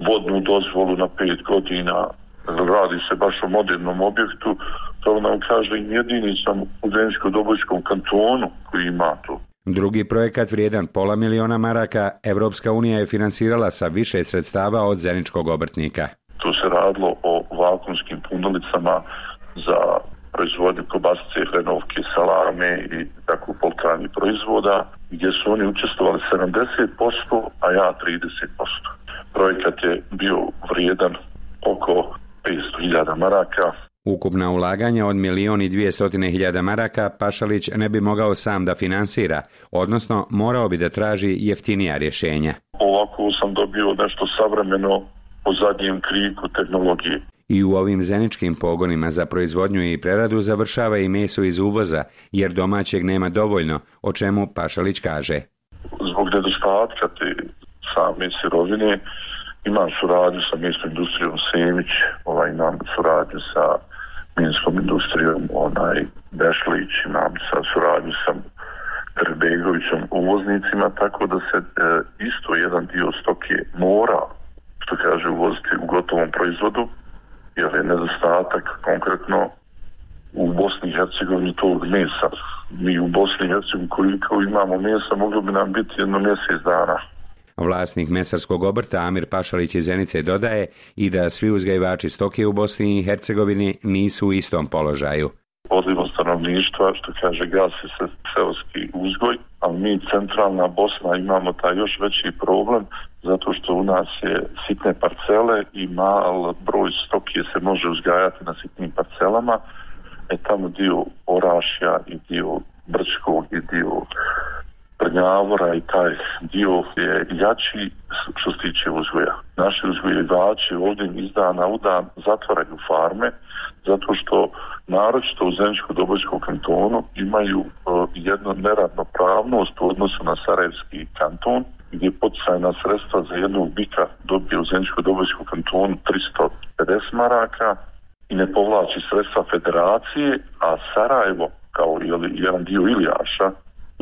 vodnu dozvolu na pet godina, radi se baš o modernom objektu, to nam kažem, jedini sam u Zeničko-Dobojskom kantonu koji ima to. Drugi projekat vrijedan pola miliona maraka Evropska unija je finansirala sa više sredstava od Zeničkog obrtnika. Tu se radilo o vakuumskim punolicama za proizvodnju kobasice, hrenovke, salame i tako poltrani proizvoda, gdje su oni učestvovali sedamdeset posto, a ja trideset posto. Projekat je bio vrijedan oko petsto hiljada maraka. Ukupna ulaganja od milion i dvjesto hiljada maraka Pašalić ne bi mogao sam da finansira, odnosno morao bi da traži jeftinija rješenja. Ovako sam dobio nešto savremeno po zadnjem kriku tehnologije. I u ovim zeničkim pogonima za proizvodnju i preradu završava i meso iz uvoza, jer domaćeg nema dovoljno, o čemu Pašalić kaže. Zbog nedostatka te same sirovine imam suradnju sa mesnom industrijom Semić, ovaj, imam suradnju sa minskom industrijom onaj Bešlić, imam sa suradnju sa Trbegovićom uvoznicima, tako da se e, isto jedan dio stoke mora, što kaže, uvoziti u gotovom proizvodu, jer je nedostatak konkretno u Bosni i Hercegovini tog mesa. Mi u Bosni i Hercegovini koliko imamo mesa, moglo bi nam biti jedno mjesec dana. Vlasnik mesarskog obrta Amir Pašalić iz Zenice dodaje i da svi uzgajivači stoke u Bosni i Hercegovini nisu u istom položaju. Odlivom stanovništva, što kaže, gasi se seoski uzgoj, ali mi centralna Bosna imamo taj još veći problem, zato što u nas je sitne parcele i mal broj stoke se može uzgajati na sitnim parcelama, e tamo dio Orašja i dio Brčkog i dio Prnjavora i taj dio je jači što se tiče uzgoja. Naši uzgojivači ovdje iz dana u dan zatvaraju farme, zato što naročito u Zeničko-Dobojskom kantonu imaju uh, jednu neravnopravnost u odnosu na Sarajevski kanton, gdje poticajna sredstva za jednog bika dobije u Zeničko-Dobojskom kantonu tristo pedeset maraka i ne povlači sredstva federacije, a Sarajevo, kao jedan dio Ilijaša,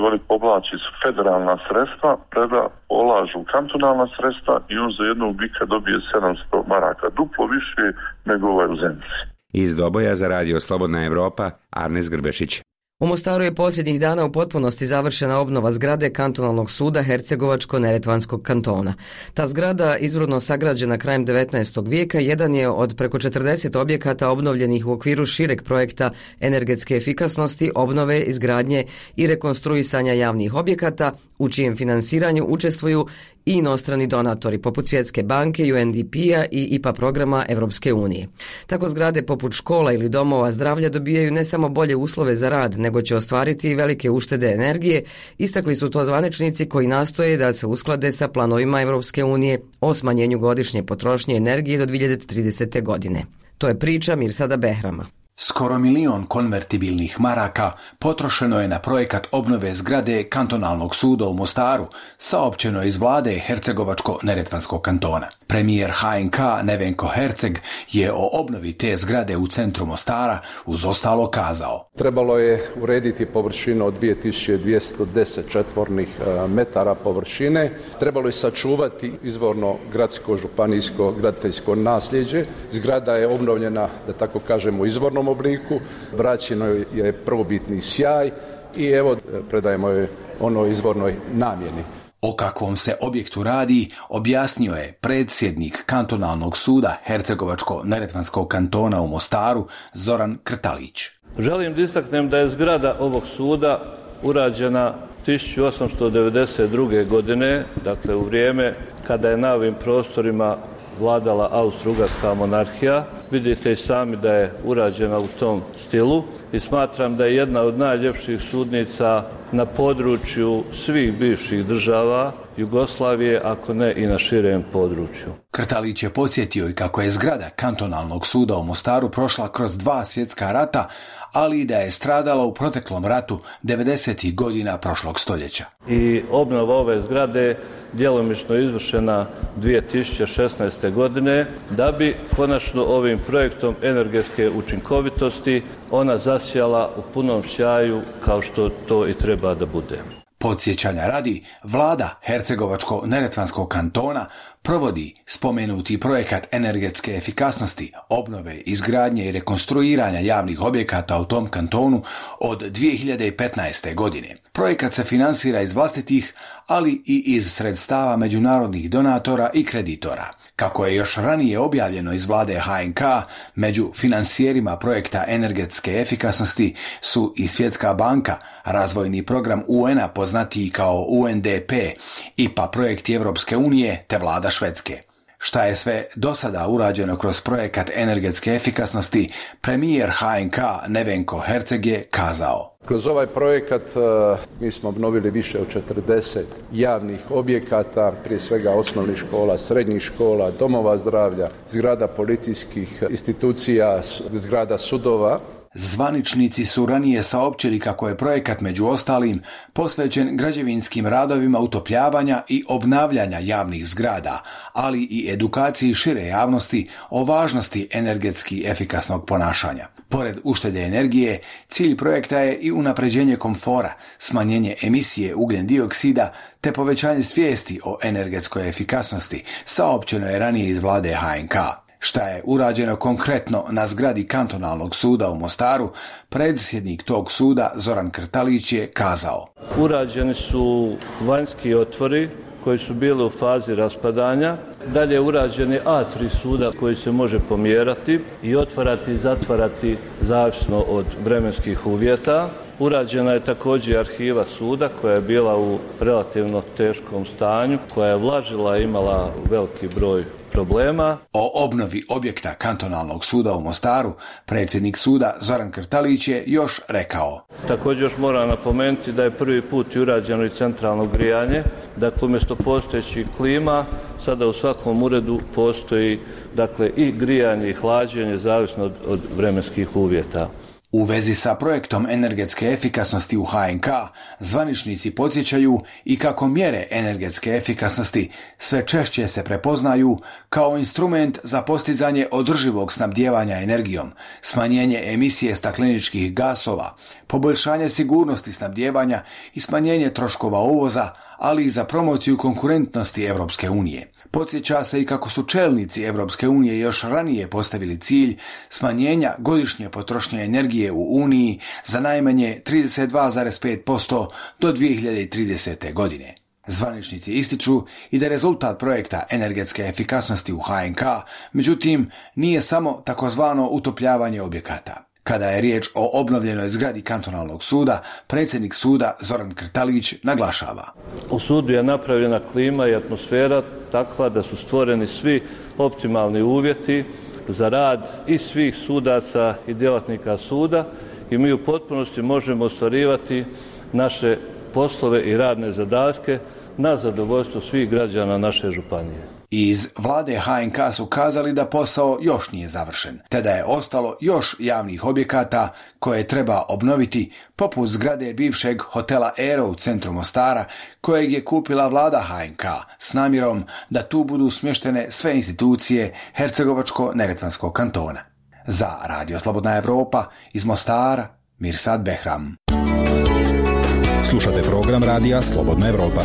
oni povlači federalna sredstva, preda polažu kantonalna sredstva i on za jednog bika dobije sedamsto maraka, duplo više nego ovaj u Zenici. Iz Doboja za radio Slobodna Evropa, Arnes Grbešić. U Mostaru je posljednjih dana u potpunosti završena obnova zgrade kantonalnog suda Hercegovačko-Neretvanskog kantona. Ta zgrada, izvorno sagrađena krajem devetnaestog vijeka, jedan je od preko četrdeset objekata obnovljenih u okviru šireg projekta energetske efikasnosti, obnove, izgradnje i rekonstruisanja javnih objekata, u čijem finansiranju učestvuju i inostrani donatori poput Svjetske banke, U N D P-a i I P A programa Evropske unije. Tako zgrade poput škola ili domova zdravlja dobijaju ne samo bolje uslove za rad, nego će ostvariti i velike uštede energije, istakli su to zvaničnici koji nastoje da se usklade sa planovima Evropske unije o smanjenju godišnje potrošnje energije do dvije hiljade tridesete. godine. To je priča Mirsada Behrama. Skoro milion konvertibilnih maraka potrošeno je na projekat obnove zgrade kantonalnog suda u Mostaru, saopćeno iz vlade Hercegovačko-Neretvanskog kantona. Premijer H N K Nevenko Herceg je o obnovi te zgrade u centru Mostara uz ostalo kazao. Trebalo je urediti površinu od dvije tisuće dvjesto deset četvornih metara površine. Trebalo je sačuvati izvorno gradsko, županijsko, graditeljsko nasljeđe. Zgrada je obnovljena, da tako kažemo, u izvornom obliku, vraćeno je prvobitni sjaj i evo predajemo je onoj izvornoj namjeni. O kakvom se objektu radi objasnio je predsjednik kantonalnog suda Hercegovačko-Neretvanskog kantona u Mostaru Zoran Krtalić. Želim da istaknem da je zgrada ovog suda urađena tisuću osamsto devedeset druge. godine, dakle u vrijeme kada je na ovim prostorima vladala Austro-Ugarska monarhija. Vidite i sami da je urađena u tom stilu i smatram da je jedna od najljepših sudnica na području svih bivših država Jugoslavije, ako ne i na širem području. Krtalić je podsjetio i kako je zgrada kantonalnog suda u Mostaru prošla kroz dva svjetska rata, ali i da je stradala u proteklom ratu devedesetih godina prošlog stoljeća. I obnova ove zgrade djelomično izvršena dvije tisuće šesnaeste. godine, da bi konačno ovim projektom energetske učinkovitosti ona zasjala u punom sjaju kao što to i treba da bude. Podsjećanja radi, vlada Hercegovačko-neretvanskog kantona provodi spomenuti projekat energetske efikasnosti, obnove, izgradnje i rekonstruiranja javnih objekata u tom kantonu od dvije hiljade petnaeste. godine. Projekat se finansira iz vlastitih, ali i iz sredstava međunarodnih donatora i kreditora. Kako je još ranije objavljeno iz vlade H N K, među finansijerima projekta energetske efikasnosti su i Svjetska banka, razvojni program U N-a poznatiji kao U N D P, I P A projekti Evropske unije te vlada Švedske. Šta je sve do sada urađeno kroz projekat energetske efikasnosti, premijer H N K Nevenko Herceg je kazao. Kroz ovaj projekat mi smo obnovili više od četrdeset javnih objekata, prije svega osnovnih škola, srednjih škola, domova zdravlja, zgrada policijskih institucija, zgrada sudova. Zvaničnici su ranije saopćili kako je projekat među ostalim posvećen građevinskim radovima utopljavanja i obnavljanja javnih zgrada, ali i edukaciji šire javnosti o važnosti energetski efikasnog ponašanja. Pored uštede energije, cilj projekta je i unapređenje komfora, smanjenje emisije ugljen dioksida te povećanje svijesti o energetskoj efikasnosti, saopćeno je ranije iz vlade H N K. Šta je urađeno konkretno na zgradi kantonalnog suda u Mostaru, predsjednik tog suda Zoran Krtalić je kazao. Urađeni su vanjski otvori koji su bili u fazi raspadanja. Dalje je urađeni A tri suda koji se može pomjerati i otvarati i zatvarati zavisno od vremenskih uvjeta. Urađena je također arhiva suda koja je bila u relativno teškom stanju, koja je vlažila i imala veliki broj problema. O obnovi objekta kantonalnog suda u Mostaru predsjednik suda Zoran Krtalić je još rekao. Također još moram napomenuti da je prvi put i urađeno i centralno grijanje. Dakle, umjesto postojećih klima, sada u svakom uredu postoji dakle, i grijanje i hlađenje, zavisno od, od vremenskih uvjeta. U vezi sa projektom energetske efikasnosti u H N K, zvaničnici podsjećaju i kako mjere energetske efikasnosti sve češće se prepoznaju kao instrument za postizanje održivog snabdijevanja energijom, smanjenje emisije stakleničkih gasova, poboljšanje sigurnosti snabdijevanja i smanjenje troškova uvoza, ali i za promociju konkurentnosti Evropske unije. Podsjeća se i kako su čelnici Evropske unije još ranije postavili cilj smanjenja godišnje potrošnje energije u Uniji za najmanje trideset dva zarez pet posto do dvije hiljade tridesete. godine. Zvaničnici ističu i da rezultat projekta energetske efikasnosti u H N K, međutim, nije samo takozvano utopljavanje objekata. Kada je riječ o obnovljenoj zgradi kantonalnog suda, predsjednik suda Zoran Krtalić naglašava. U sudu je napravljena klima i atmosfera takva da su stvoreni svi optimalni uvjeti za rad i svih sudaca i djelatnika suda i mi u potpunosti možemo ostvarivati naše poslove i radne zadatke na zadovoljstvo svih građana naše županije. Iz vlade H N K su kazali da posao još nije završen, te da je ostalo još javnih objekata koje treba obnoviti, poput zgrade bivšeg hotela Aero u centru Mostara, kojeg je kupila vlada H N K s namjerom da tu budu smještene sve institucije Hercegovačko-neretvanskog kantona. Za Radio Slobodna Evropa iz Mostara, Mirsad Behram. Slušate program Radija Slobodna Evropa.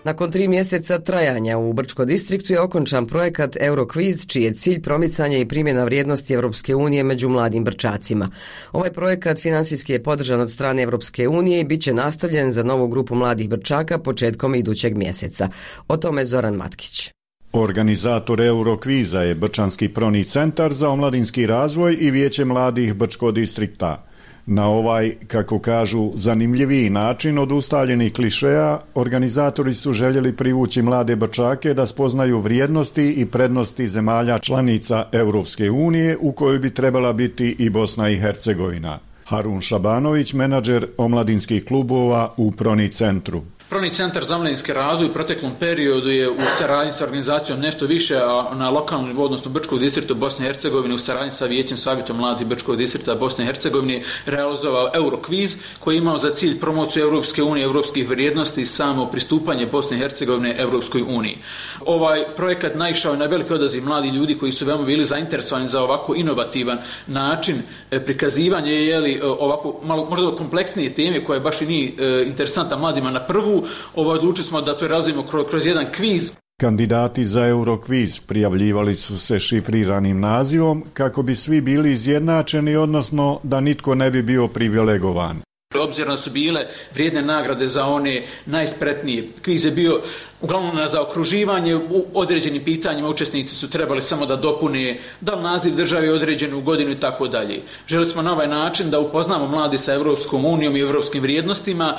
Nakon tri mjeseca trajanja u Brčko distriktu je okončan projekat Eurokviz, čiji je cilj promicanje i primjena vrijednosti Evropske unije među mladim Brčacima. Ovaj projekat finansijski je podržan od strane Evropske unije i bit će nastavljen za novu grupu mladih Brčaka početkom idućeg mjeseca. O tome Zoran Matkić. Organizator Eurokviza je Brčanski Proni centar za omladinski razvoj i Vijeće mladih Brčko distrikta. Na ovaj, kako kažu, zanimljiviji način od ustaljenih klišeja, organizatori su željeli privući mlade Brčake da spoznaju vrijednosti i prednosti zemalja članica Europske unije u kojoj bi trebala biti i Bosna i Hercegovina. Harun Šabanović, menadžer omladinskih klubova u Proni centru. Probni centar za omladinski razvoj u proteklom periodu je u saradnji sa organizacijom Nešto više, a na lokalnom nivou, odnosno Brčkog distrikta Bosne i Hercegovine, u saradnji sa Vijećem savjetom mladih Brčkog distrikta Bosne i Hercegovine realizovao Eurokviz koji je imao za cilj promociju Europske unije, europskih vrijednosti i samo pristupanje Bosne i Hercegovine Europskoj uniji. Ovaj projekat naišao je na veliki odaziv mladih ljudi koji su veoma bili zainteresovani za ovako inovativan način prikazivanja, jeli, ovako malo možda kompleksnije teme koja baš i nije e, interesantna mladima na prvu. Ovo odlučili smo da to razvijemo kroz, kroz jedan kviz. Kandidati za Eurokviz prijavljivali su se šifriranim nazivom kako bi svi bili izjednačeni, odnosno da nitko ne bi bio privilegovan. Obzirom da su bile vrijedne nagrade za one najspretnije. Kviz je bio uglavnom na zaokruživanje u određenim pitanjima, učesnici su trebali samo da dopune da li naziv države je određen u godinu i tako dalje. Želi smo na ovaj način da upoznamo mladi sa Europskom unijom i europskim vrijednostima,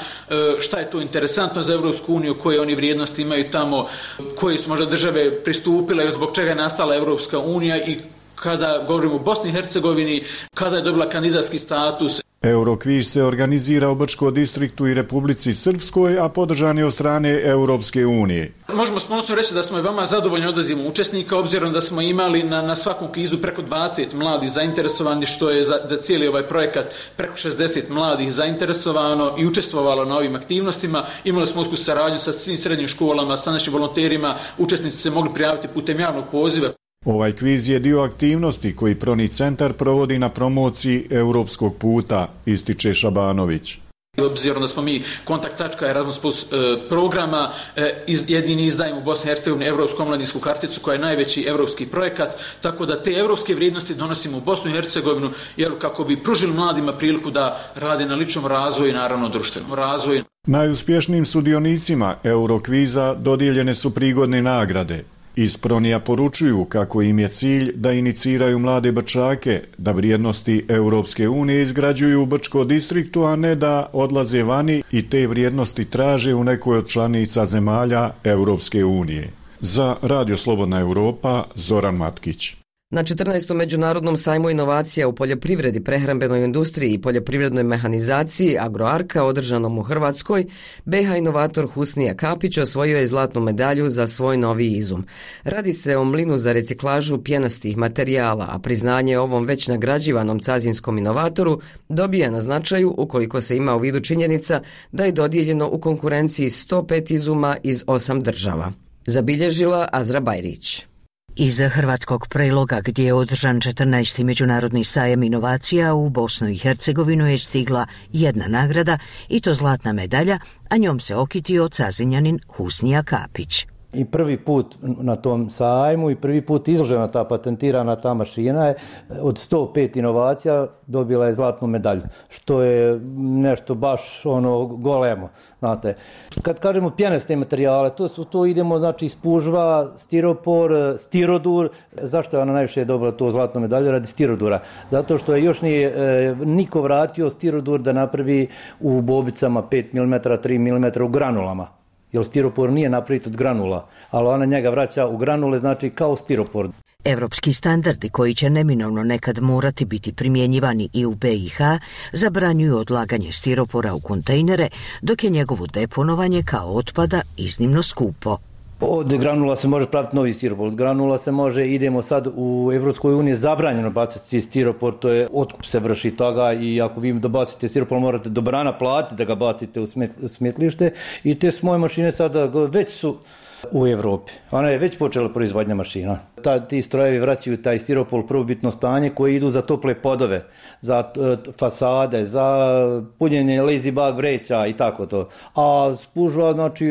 šta je to interesantno za Europsku uniju, koje oni vrijednosti imaju tamo, koje su možda države pristupile, zbog čega je nastala Europska unija i kada govorimo o Bosni i Hercegovini, kada je dobila kandidatski status. Eurokviz se organizira u Brčkom distriktu i Republici Srpskoj, a podržan je od strane Europske unije. Možemo s ponosom reći da smo i vama zadovoljni odazivom učesnika, obzirom da smo imali na, na svakom kvizu preko dvadeset mladih zainteresovani, što je za, da cijeli ovaj projekat preko šezdeset mladih zainteresovano i učestvovalo na ovim aktivnostima. Imali smo usku saradnju sa svim srednjim školama, sa našim volonterima, učesnici se mogli prijaviti putem javnog poziva. Ovaj kviz je dio aktivnosti koji Probni centar provodi na promociji europskog puta, ističe Šabanović. Obzirom da smo mi kontakt tačka Erasmus Plus e, programa, e, iz, jedini izdajemo u Bosni i Hercegovini evropsku omladinsku karticu koja je najveći evropski projekat, tako da te evropske vrijednosti donosimo u Bosnu i Hercegovinu jer kako bi pružili mladima priliku da rade na ličnom razvoju i naravno društvenom razvoju. Najuspješnijim sudionicima Eurokviza dodijeljene su prigodne nagrade. Iz Pronija poručuju kako im je cilj da iniciraju mlade Brčake, da vrijednosti Europske unije izgrađuju u Brčkom distriktu, a ne da odlaze vani i te vrijednosti traže u nekoj od članica zemalja Europske unije. Za Radio Slobodna Europa, Zoran Matkić. Na četrnaestom međunarodnom sajmu inovacija u poljoprivredi, prehrambenoj industriji i poljoprivrednoj mehanizaciji Agroarka održanom u Hrvatskoj, be ha inovator Husnija Kapić osvojio je zlatnu medalju za svoj novi izum. Radi se o mlinu za reciklažu pjenastih materijala, a priznanje ovom već nagrađivanom cazinskom inovatoru dobija na značaju ukoliko se ima u vidu činjenica da je dodijeljeno u konkurenciji sto pet izuma iz osam država. Zabilježila Azra Bajrić. Iza hrvatskog preloga gdje je održan četrnaesti međunarodni sajam inovacija u Bosnu i Hercegovinu je stigla jedna nagrada i to zlatna medalja, a njom se okitio cazinjanin Husnija Kapić. I prvi put na tom sajmu i prvi put izložena ta patentirana ta mašina je od sto pet inovacija dobila je zlatnu medalju, što je nešto baš ono golemo, znate. Kad kažemo pjenaste materijale, to su to idemo znači spužva, stiropor, stirodur. Zašto je ona najviše dobila to zlatnu medalju? Radi stirodura. Zato što je još nije e, niko vratio stirodur da napravi u bobicama pet milimetara, tri milimetra u granulama. Jer stiropor nije napraviti od granula, ali ona njega vraća u granule, znači kao stiropor. Evropski standardi koji će neminovno nekad morati biti primjenjivani i u be i ha zabranjuju odlaganje stiropora u kontejnere, dok je njegovo deponovanje kao otpada iznimno skupo. Od granula se može praviti novi stiropor, od granula se može, idemo sad u Evropskoj uniji zabranjeno baciti stiropor, to je otkup se vrši toga i ako vi da bacite stiropor morate dobrana platiti da ga bacite u smetlište i te moje mašine sada već su u Evropi. Ona je već počela proizvodnja mašina. Ta, ti strojevi vraćaju taj stiropor u prvobitno stanje koji idu za tople podove, za uh, fasade, za punjenje lazy bag vreća i tako to. A spužva, znači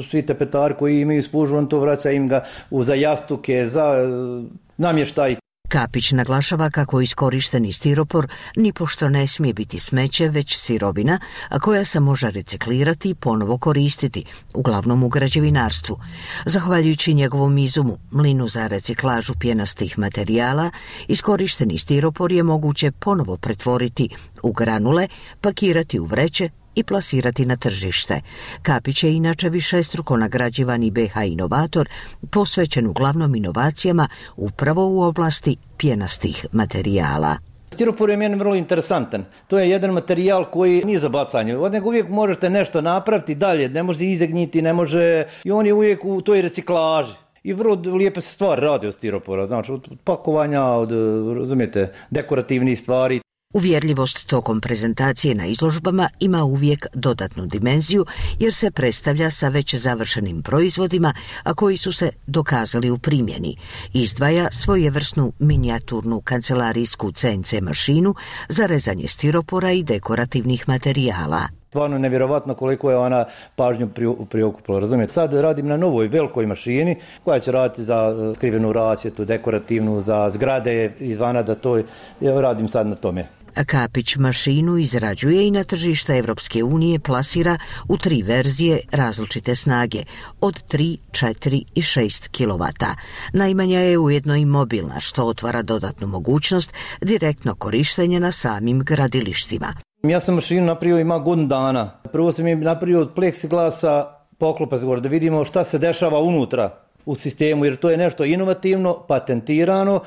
svi tepetari koji imaju spužvu, on to vraća im ga u, za jastuke, za uh, namještaj. Kapić naglašava kako iskorišteni stiropor nipošto ne smije biti smeće, već sirovina, a koja se može reciklirati i ponovo koristiti, uglavnom u građevinarstvu. Zahvaljujući njegovom izumu, mlinu za reciklažu pjenastih materijala, iskorišteni stiropor je moguće ponovo pretvoriti u granule, pakirati u vreće i plasirati na tržište. Kapić je inače višestruko nagrađivani be ha inovator, posvećen uglavnom inovacijama upravo u oblasti pjenastih materijala. Stiropor je meni vrlo interesantan. To je jedan materijal koji nije za bacanje. Od njega uvijek možete nešto napraviti dalje, ne može izegniti, ne može... I on je uvijek u toj reciklaži. I vrlo lijepe se stvari radi od stiropora. Znači, od pakovanja, od, razumijete, dekorativnih stvari. Uvjerljivost tokom prezentacije na izložbama ima uvijek dodatnu dimenziju jer se predstavlja sa već završenim proizvodima, a koji su se dokazali u primjeni. Izdvaja svojevrsnu minijaturnu kancelarijsku C N C mašinu za rezanje stiropora i dekorativnih materijala. Stvarno nevjerovatno koliko je ona pažnju priokupila, razumijete. Sad radim na novoj velikoj mašini koja će raditi za skrivenu rasvjetu, dekorativnu, za zgrade izvana, da to ja radim sad na tome. Kapić mašinu izrađuje i na tržište Evropske unije plasira u tri verzije različite snage, od tri, četiri i šest kilovata. Najmanja je ujedno i mobilna, što otvara dodatnu mogućnost direktno korištenja na samim gradilištima. Ja sam mašinu napravio ima godinu dana. Prvo sam je napravio od pleksiglasa poklopac gore, da vidimo šta se dešava unutra u sistemu, jer to je nešto inovativno, patentirano.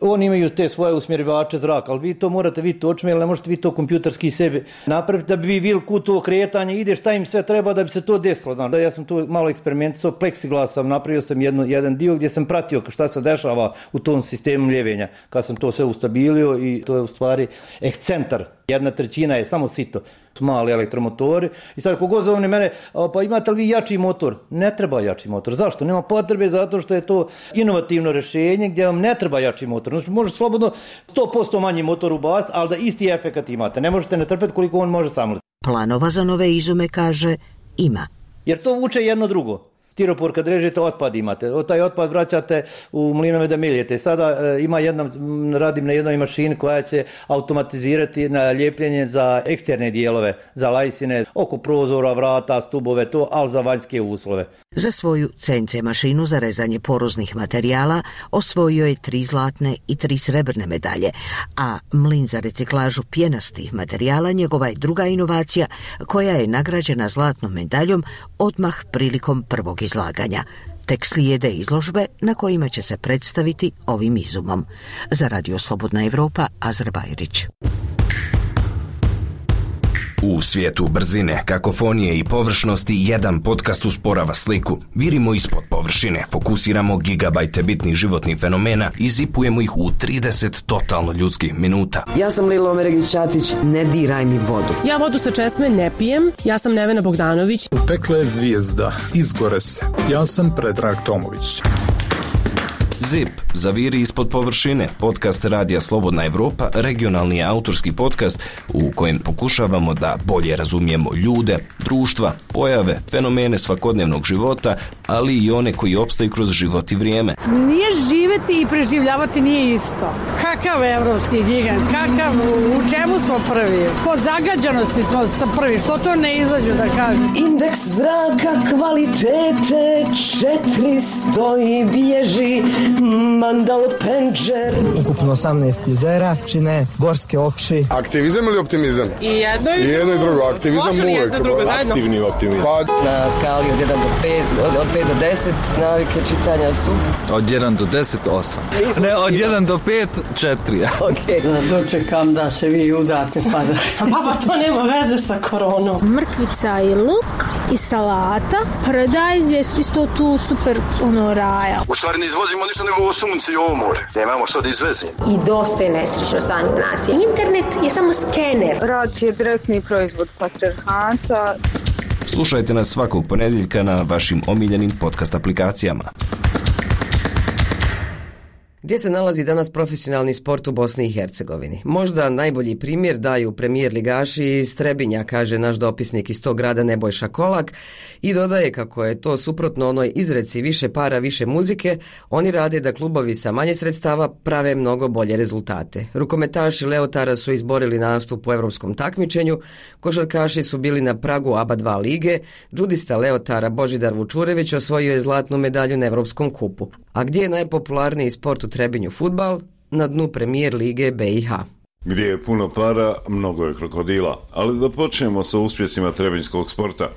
Oni imaju te svoje usmjerivače zraka, ali vi to morate vidjeti očima, jer ne možete vi to kompjuterski sebi napraviti da bi vi vidjeli kud to kretanje ide, šta im sve treba da bi se to desilo. Znači, ja sam tu malo eksperimentisao, pleksiglasom, napravio sam jedno, jedan dio gdje sam pratio šta se dešava u tom sistemu mljevenja. Kad sam to sve ustabilio i to je u stvari ekscentar, jedna trećina je samo sito. Mali elektromotori i sad kogod zovne mene, pa imate li vi jači motor? Ne treba jači motor. Zašto? Nema potrebe, zato što je to inovativno rješenje gdje vam ne treba jači motor. Znači može slobodno sto posto manji motor ubaciti, ali da isti efekat imate. Ne možete ne trpeti koliko on može samliti. Planova za nove izume, kaže, ima. Jer to vuče jedno drugo. Stiropor kad režete otpad imate, taj otpad vraćate u mlinove da miljete. Sada e, ima jedna, radim na jednoj mašini koja će automatizirati na ljepljenje za eksterne dijelove, za lajsine, oko prozora, vrata, stubove, to, ali za vanjske uslove. Za svoju C N C mašinu za rezanje poroznih materijala osvojio je tri zlatne i tri srebrne medalje, a mlin za reciklažu pjenastih materijala njegova je druga inovacija koja je nagrađena zlatnom medaljom odmah prilikom prvog izlaganja. Tek slijede izložbe na kojima će se predstaviti ovim izumom. Za Radio Slobodna Evropa, Azra Bajrić. U svijetu brzine, kakofonije i površnosti jedan podcast usporava sliku. Virimo ispod površine, fokusiramo gigabajte bitnih životnih fenomena i zipujemo ih u trideset totalno ljudskih minuta. Ja sam Lilo Omeregić-Ćatić, ne diraj mi vodu. Ja vodu sa česme ne pijem, ja sam Nevena Bogdanović. Pekla je zvijezda, izgore se. Ja sam Predrag Tomović. Zip, zaviri ispod površine, podcast Radija Slobodna Evropa, regionalni autorski podcast u kojem pokušavamo da bolje razumijemo ljude, društva, pojave, fenomene svakodnevnog života, ali i one koji opstaju kroz život i vrijeme. Nije živjeti i preživljavati nije isto. Kakav evropski gigant, kakav, u čemu smo prvi? Po zagađanosti smo sa prvi, što to ne izađu da kažem? Indeks zraka kvalitete četiristo i bježi Mandalo Penđer. Ukupno osamnaest jezera čine gorske oči. Aktivizam ili optimizam? I jedno i, I jedno i drugo. Aktivizam uvijek. Aktivni optimizam. Pa... Na skali od jedan do pet, od, od pet do deset navike čitanja su? Od jedan do deset, osam. Ne, od jedan do pet, četiri. Okay. Da dočekam da se vi udate pa da... Pa to nema veze sa koronom. Mrkvica i luk i salata. Paradajz je isto tu super ono raja. U stvari ne izvozimo ništa nego ovo sunce i ovo more. Nemamo što da izvezimo. I dosta je nesrećno stanje nacije. Internet je samo skener. Rad je direktni proizvod patriarhata. Slušajte nas svakog ponedjeljka na vašim omiljenim podcast aplikacijama. Gdje se nalazi danas profesionalni sport u Bosni i Hercegovini? Možda najbolji primjer daju premijer ligaši iz Trebinja, kaže naš dopisnik iz tog grada Nebojša Kolak, i dodaje kako je to suprotno onoj izreci više para, više muzike. Oni rade da klubovi sa manje sredstava prave mnogo bolje rezultate. Rukometaši Leotara su izborili nastup u evropskom takmičenju, košarkaši su bili na pragu A B A dva lige, džudista Leotara Božidar Vučurević osvojio je zlatnu medalju na Evropskom kupu. A gdje je najpopularniji sport u Trebinju fudbal? Na dnu premijer lige B i H. Gdje je puno para, mnogo je krokodila. Ali da počnemo sa uspjesima trebinjskog sporta.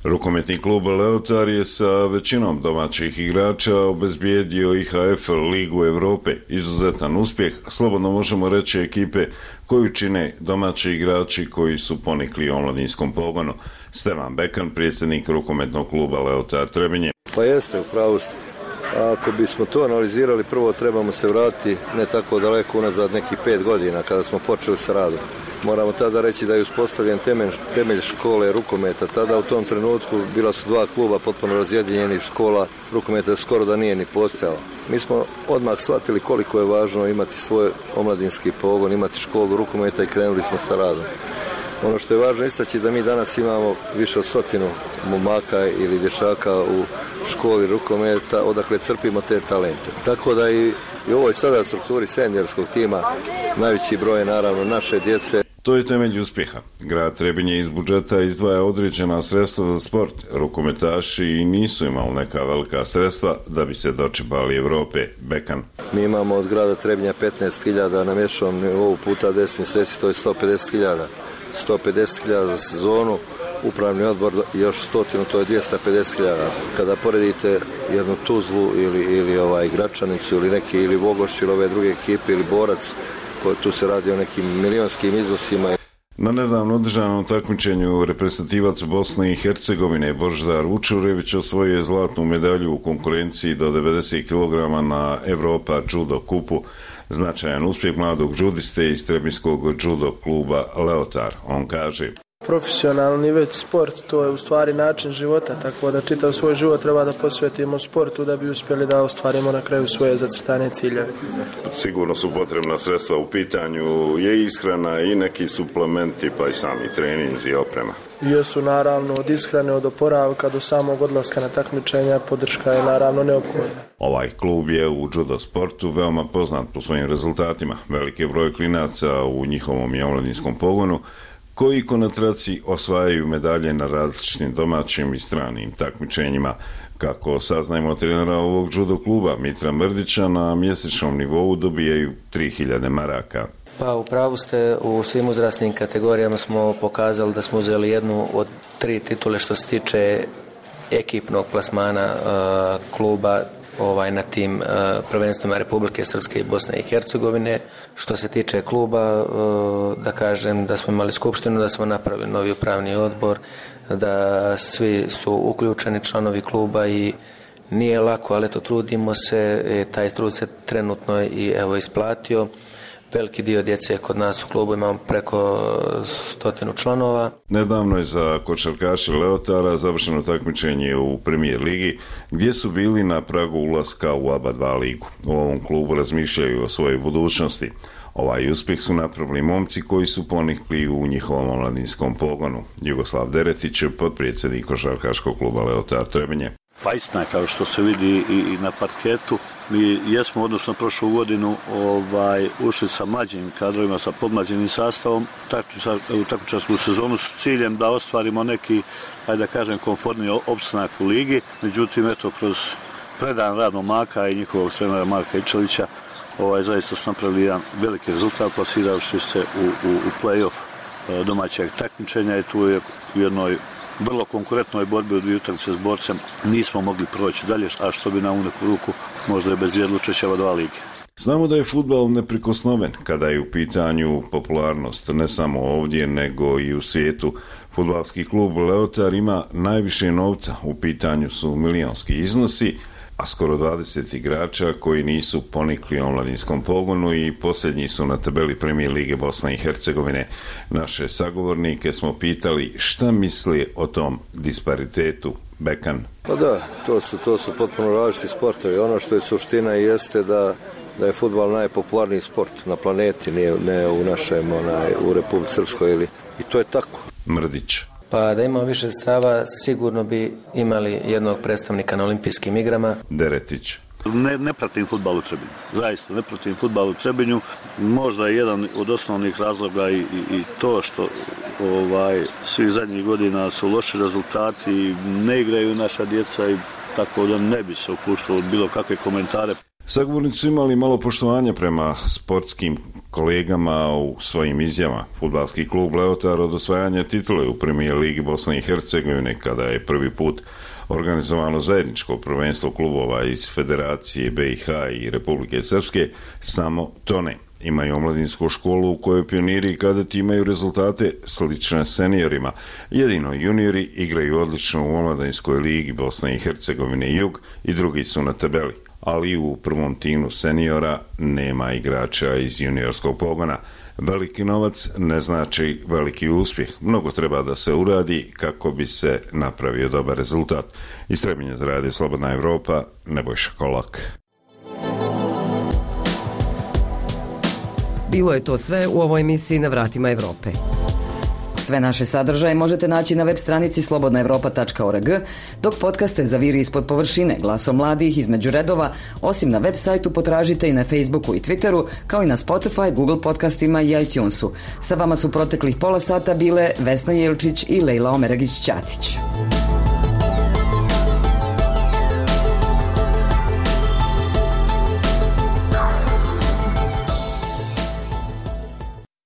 Rukometni klub Leotar je sa većinom domaćih igrača obezbijedio I H F Ligu Europe. Izuzetan uspjeh, slobodno možemo reći, ekipe koju čine domaći igrači koji su ponikli u omladinskom pogonu. Stevan Bekan, predsjednik rukometnog kluba Leotar Trebinje. Pa jeste, u pravu ste. Ako bismo to analizirali, prvo trebamo se vratiti ne tako daleko unazad, nekih pet godina kada smo počeli sa radom. Moramo tada reći da je uspostavljen temelj, temelj škole rukometa. Tada u tom trenutku bila su dva kluba potpuno razjedinjenih, škola rukometa skoro da nije ni postojala. Mi smo odmah shvatili koliko je važno imati svoj omladinski pogon, imati školu rukometa i krenuli smo sa radom. Ono što je važno istaći da mi danas imamo više od stotinu momaka ili dječaka u školi rukometa odakle crpimo te talente. Tako da i, i u ovoj sada strukturi seniorskog tima najveći broj je naravno naše djece. To je temelj uspjeha. Grad Trebinje iz budžeta izdvaja određena sredstva za sport. Rukometaši nisu imali neka velika sredstva da bi se dočepali Europe. Bekan. Mi imamo od grada Trebinja petnaest hiljada na mješovom nivou puta deset mjeseci, to je sto pedeset hiljada. sto pedeset hiljada za sezonu, upravni odbor još stotinu, to je dvjesto pedeset hiljada. Kada poredite jednu Tuzlu ili, ili ovaj Gračanicu ili neki ili Vogoš ili ove druge ekipe ili Borac, koji tu se radi o nekim milionskim iznosima. Na nedavno održanom takmičenju reprezentativac Bosne i Hercegovine Božidar Vučurević osvojio je zlatnu medalju u konkurenciji do devedeset kilograma na Europa Judo kupu. Značajan uspjeh mladog džudiste iz Trebinskog judo kluba Leotar. On kaže: profesionalni već sport, to je u stvari način života, tako da čitav svoj život treba da posvetimo sportu da bi uspjeli da ostvarimo na kraju svoje zacrtane ciljeve. Sigurno su potrebna sredstva u pitanju, je ishrana i neki suplementi, pa i sami treninzi i oprema. Jesu naravno od ishrane, od oporavka do samog odlaska na takmičenja, podrška je naravno neophodna. Ovaj klub je u judo sportu veoma poznat po svojim rezultatima. Veliki broj klinaca u njihovom i omladinskom pogonu koji konatraci osvajaju medalje na različitim domaćim i stranim takmičenjima. Kako saznajemo trenera ovog judo kluba Mitra Mrdića, na mjesečnom nivou dobijaju tri hiljade maraka. Pa u pravu ste, u svim uzrasnim kategorijama smo pokazali da smo uzeli jednu od tri titule što se tiče ekipnog plasmana uh, kluba ovaj, na tim uh, prvenstvima Republike Srpske i Bosne i Hercegovine. Što se tiče kluba, uh, da kažem da smo imali skupštinu, da smo napravili novi upravni odbor, da svi su uključeni članovi kluba i nije lako, ali to trudimo se, e, taj trud se trenutno i evo isplatio. Veliki dio djece kod nas u klubu, imamo preko stotinu članova. Nedavno je za košarkaše Leotara završeno takmičenje u Premier ligi, gdje su bili na pragu ulaska u A B A dva ligu. U ovom klubu razmišljaju o svojoj budućnosti. Ovaj uspjeh su napravili momci koji su ponikli u njihovom omladinskom pogonu. Jugoslav Deretić je potpredsjednik košarkaškog kluba Leotar Trebinje. Pa istina, kao što se vidi i, i na parketu, mi jesmo odnosno prošlu godinu ovaj, ušli sa mlađim kadrovima, sa podmlađenim sastavom u takmičarsku sezonu s ciljem da ostvarimo neki, ajde da kažem, komfortni opstanak u ligi. Međutim, eto, kroz predan rad momaka i njihovog trenera Marka Ičelića, ovaj, zaista su napravili jedan veliki rezultat, plasirajući se u, u, u play-off domaćeg takmičenja i tu je u jednoj vrlo konkurentnoj borbi u dvije utakmice s Borcem nismo mogli proći dalje, a što bi nam u neku ruku možda je bezbjedilo učešće ove dva lige. Znamo da je fudbal neprikosnoven kada je u pitanju popularnost, ne samo ovdje nego i u svijetu. Fudbalski klub Leotar ima najviše novca, u pitanju su milionski iznosi, a skoro dvadeset igrača koji nisu ponikli u omladinskom pogonu i posljednji su na tabeli Premier lige Bosne i Hercegovine. Naše sagovornike smo pitali šta misli o tom disparitetu. Bekan. Pa da, to su, to su potpuno različiti sportovi. Ono što je suština jeste da, da je fudbal najpopularniji sport na planeti, ne, ne u našem, onaj, u Republici Srpskoj ili, i to je tako. Mrdić. Pa da imamo više sredstava, sigurno bi imali jednog predstavnika na olimpijskim igrama. Deretić. Ne, ne pratim fudbal u Trebinju. Zaista ne pratim fudbal u Trebinju. Možda je jedan od osnovnih razloga i, i, i to što ovaj, svih zadnjih godina su loši rezultati, ne igraju naša djeca i tako da ne bi se upuštalo od bilo kakve komentare. Sagovornici su imali malo poštovanja prema sportskim kolegama u svojim izjavama. Fudbalski klub Leotar od osvajanja titule u Premijer Ligi Bosne i Hercegovine, kada je prvi put organizovano zajedničko prvenstvo klubova iz Federacije B i H i Republike Srpske, samo tone. Imaju omladinsku školu u kojoj pioniri i kadeti imaju rezultate slične seniorima. Jedino juniori igraju odlično u omladinskoj ligi Bosne i Hercegovine Jug i drugi su na tabeli. Ali u prvom timu seniora nema igrača iz juniorskog pogona. Veliki novac ne znači veliki uspjeh. Mnogo treba da se uradi kako bi se napravio dobar rezultat. Iz Trebinja za Radio Slobodna Evropa, Nebojša Kolak. Bilo je to sve u ovoj emisiji Na vratima Evrope. Sve naše sadržaje možete naći na web stranici slobodna evropa tačka org, dok podcaste Zaviri ispod površine, Glasom mladih, Između redova, osim na web sajtu potražite i na Facebooku i Twitteru, kao i na Spotify, Google podcastima i iTunesu. Sa vama su proteklih pola sata bile Vesna Jelčić i Lejla Omeragić-Ćatić.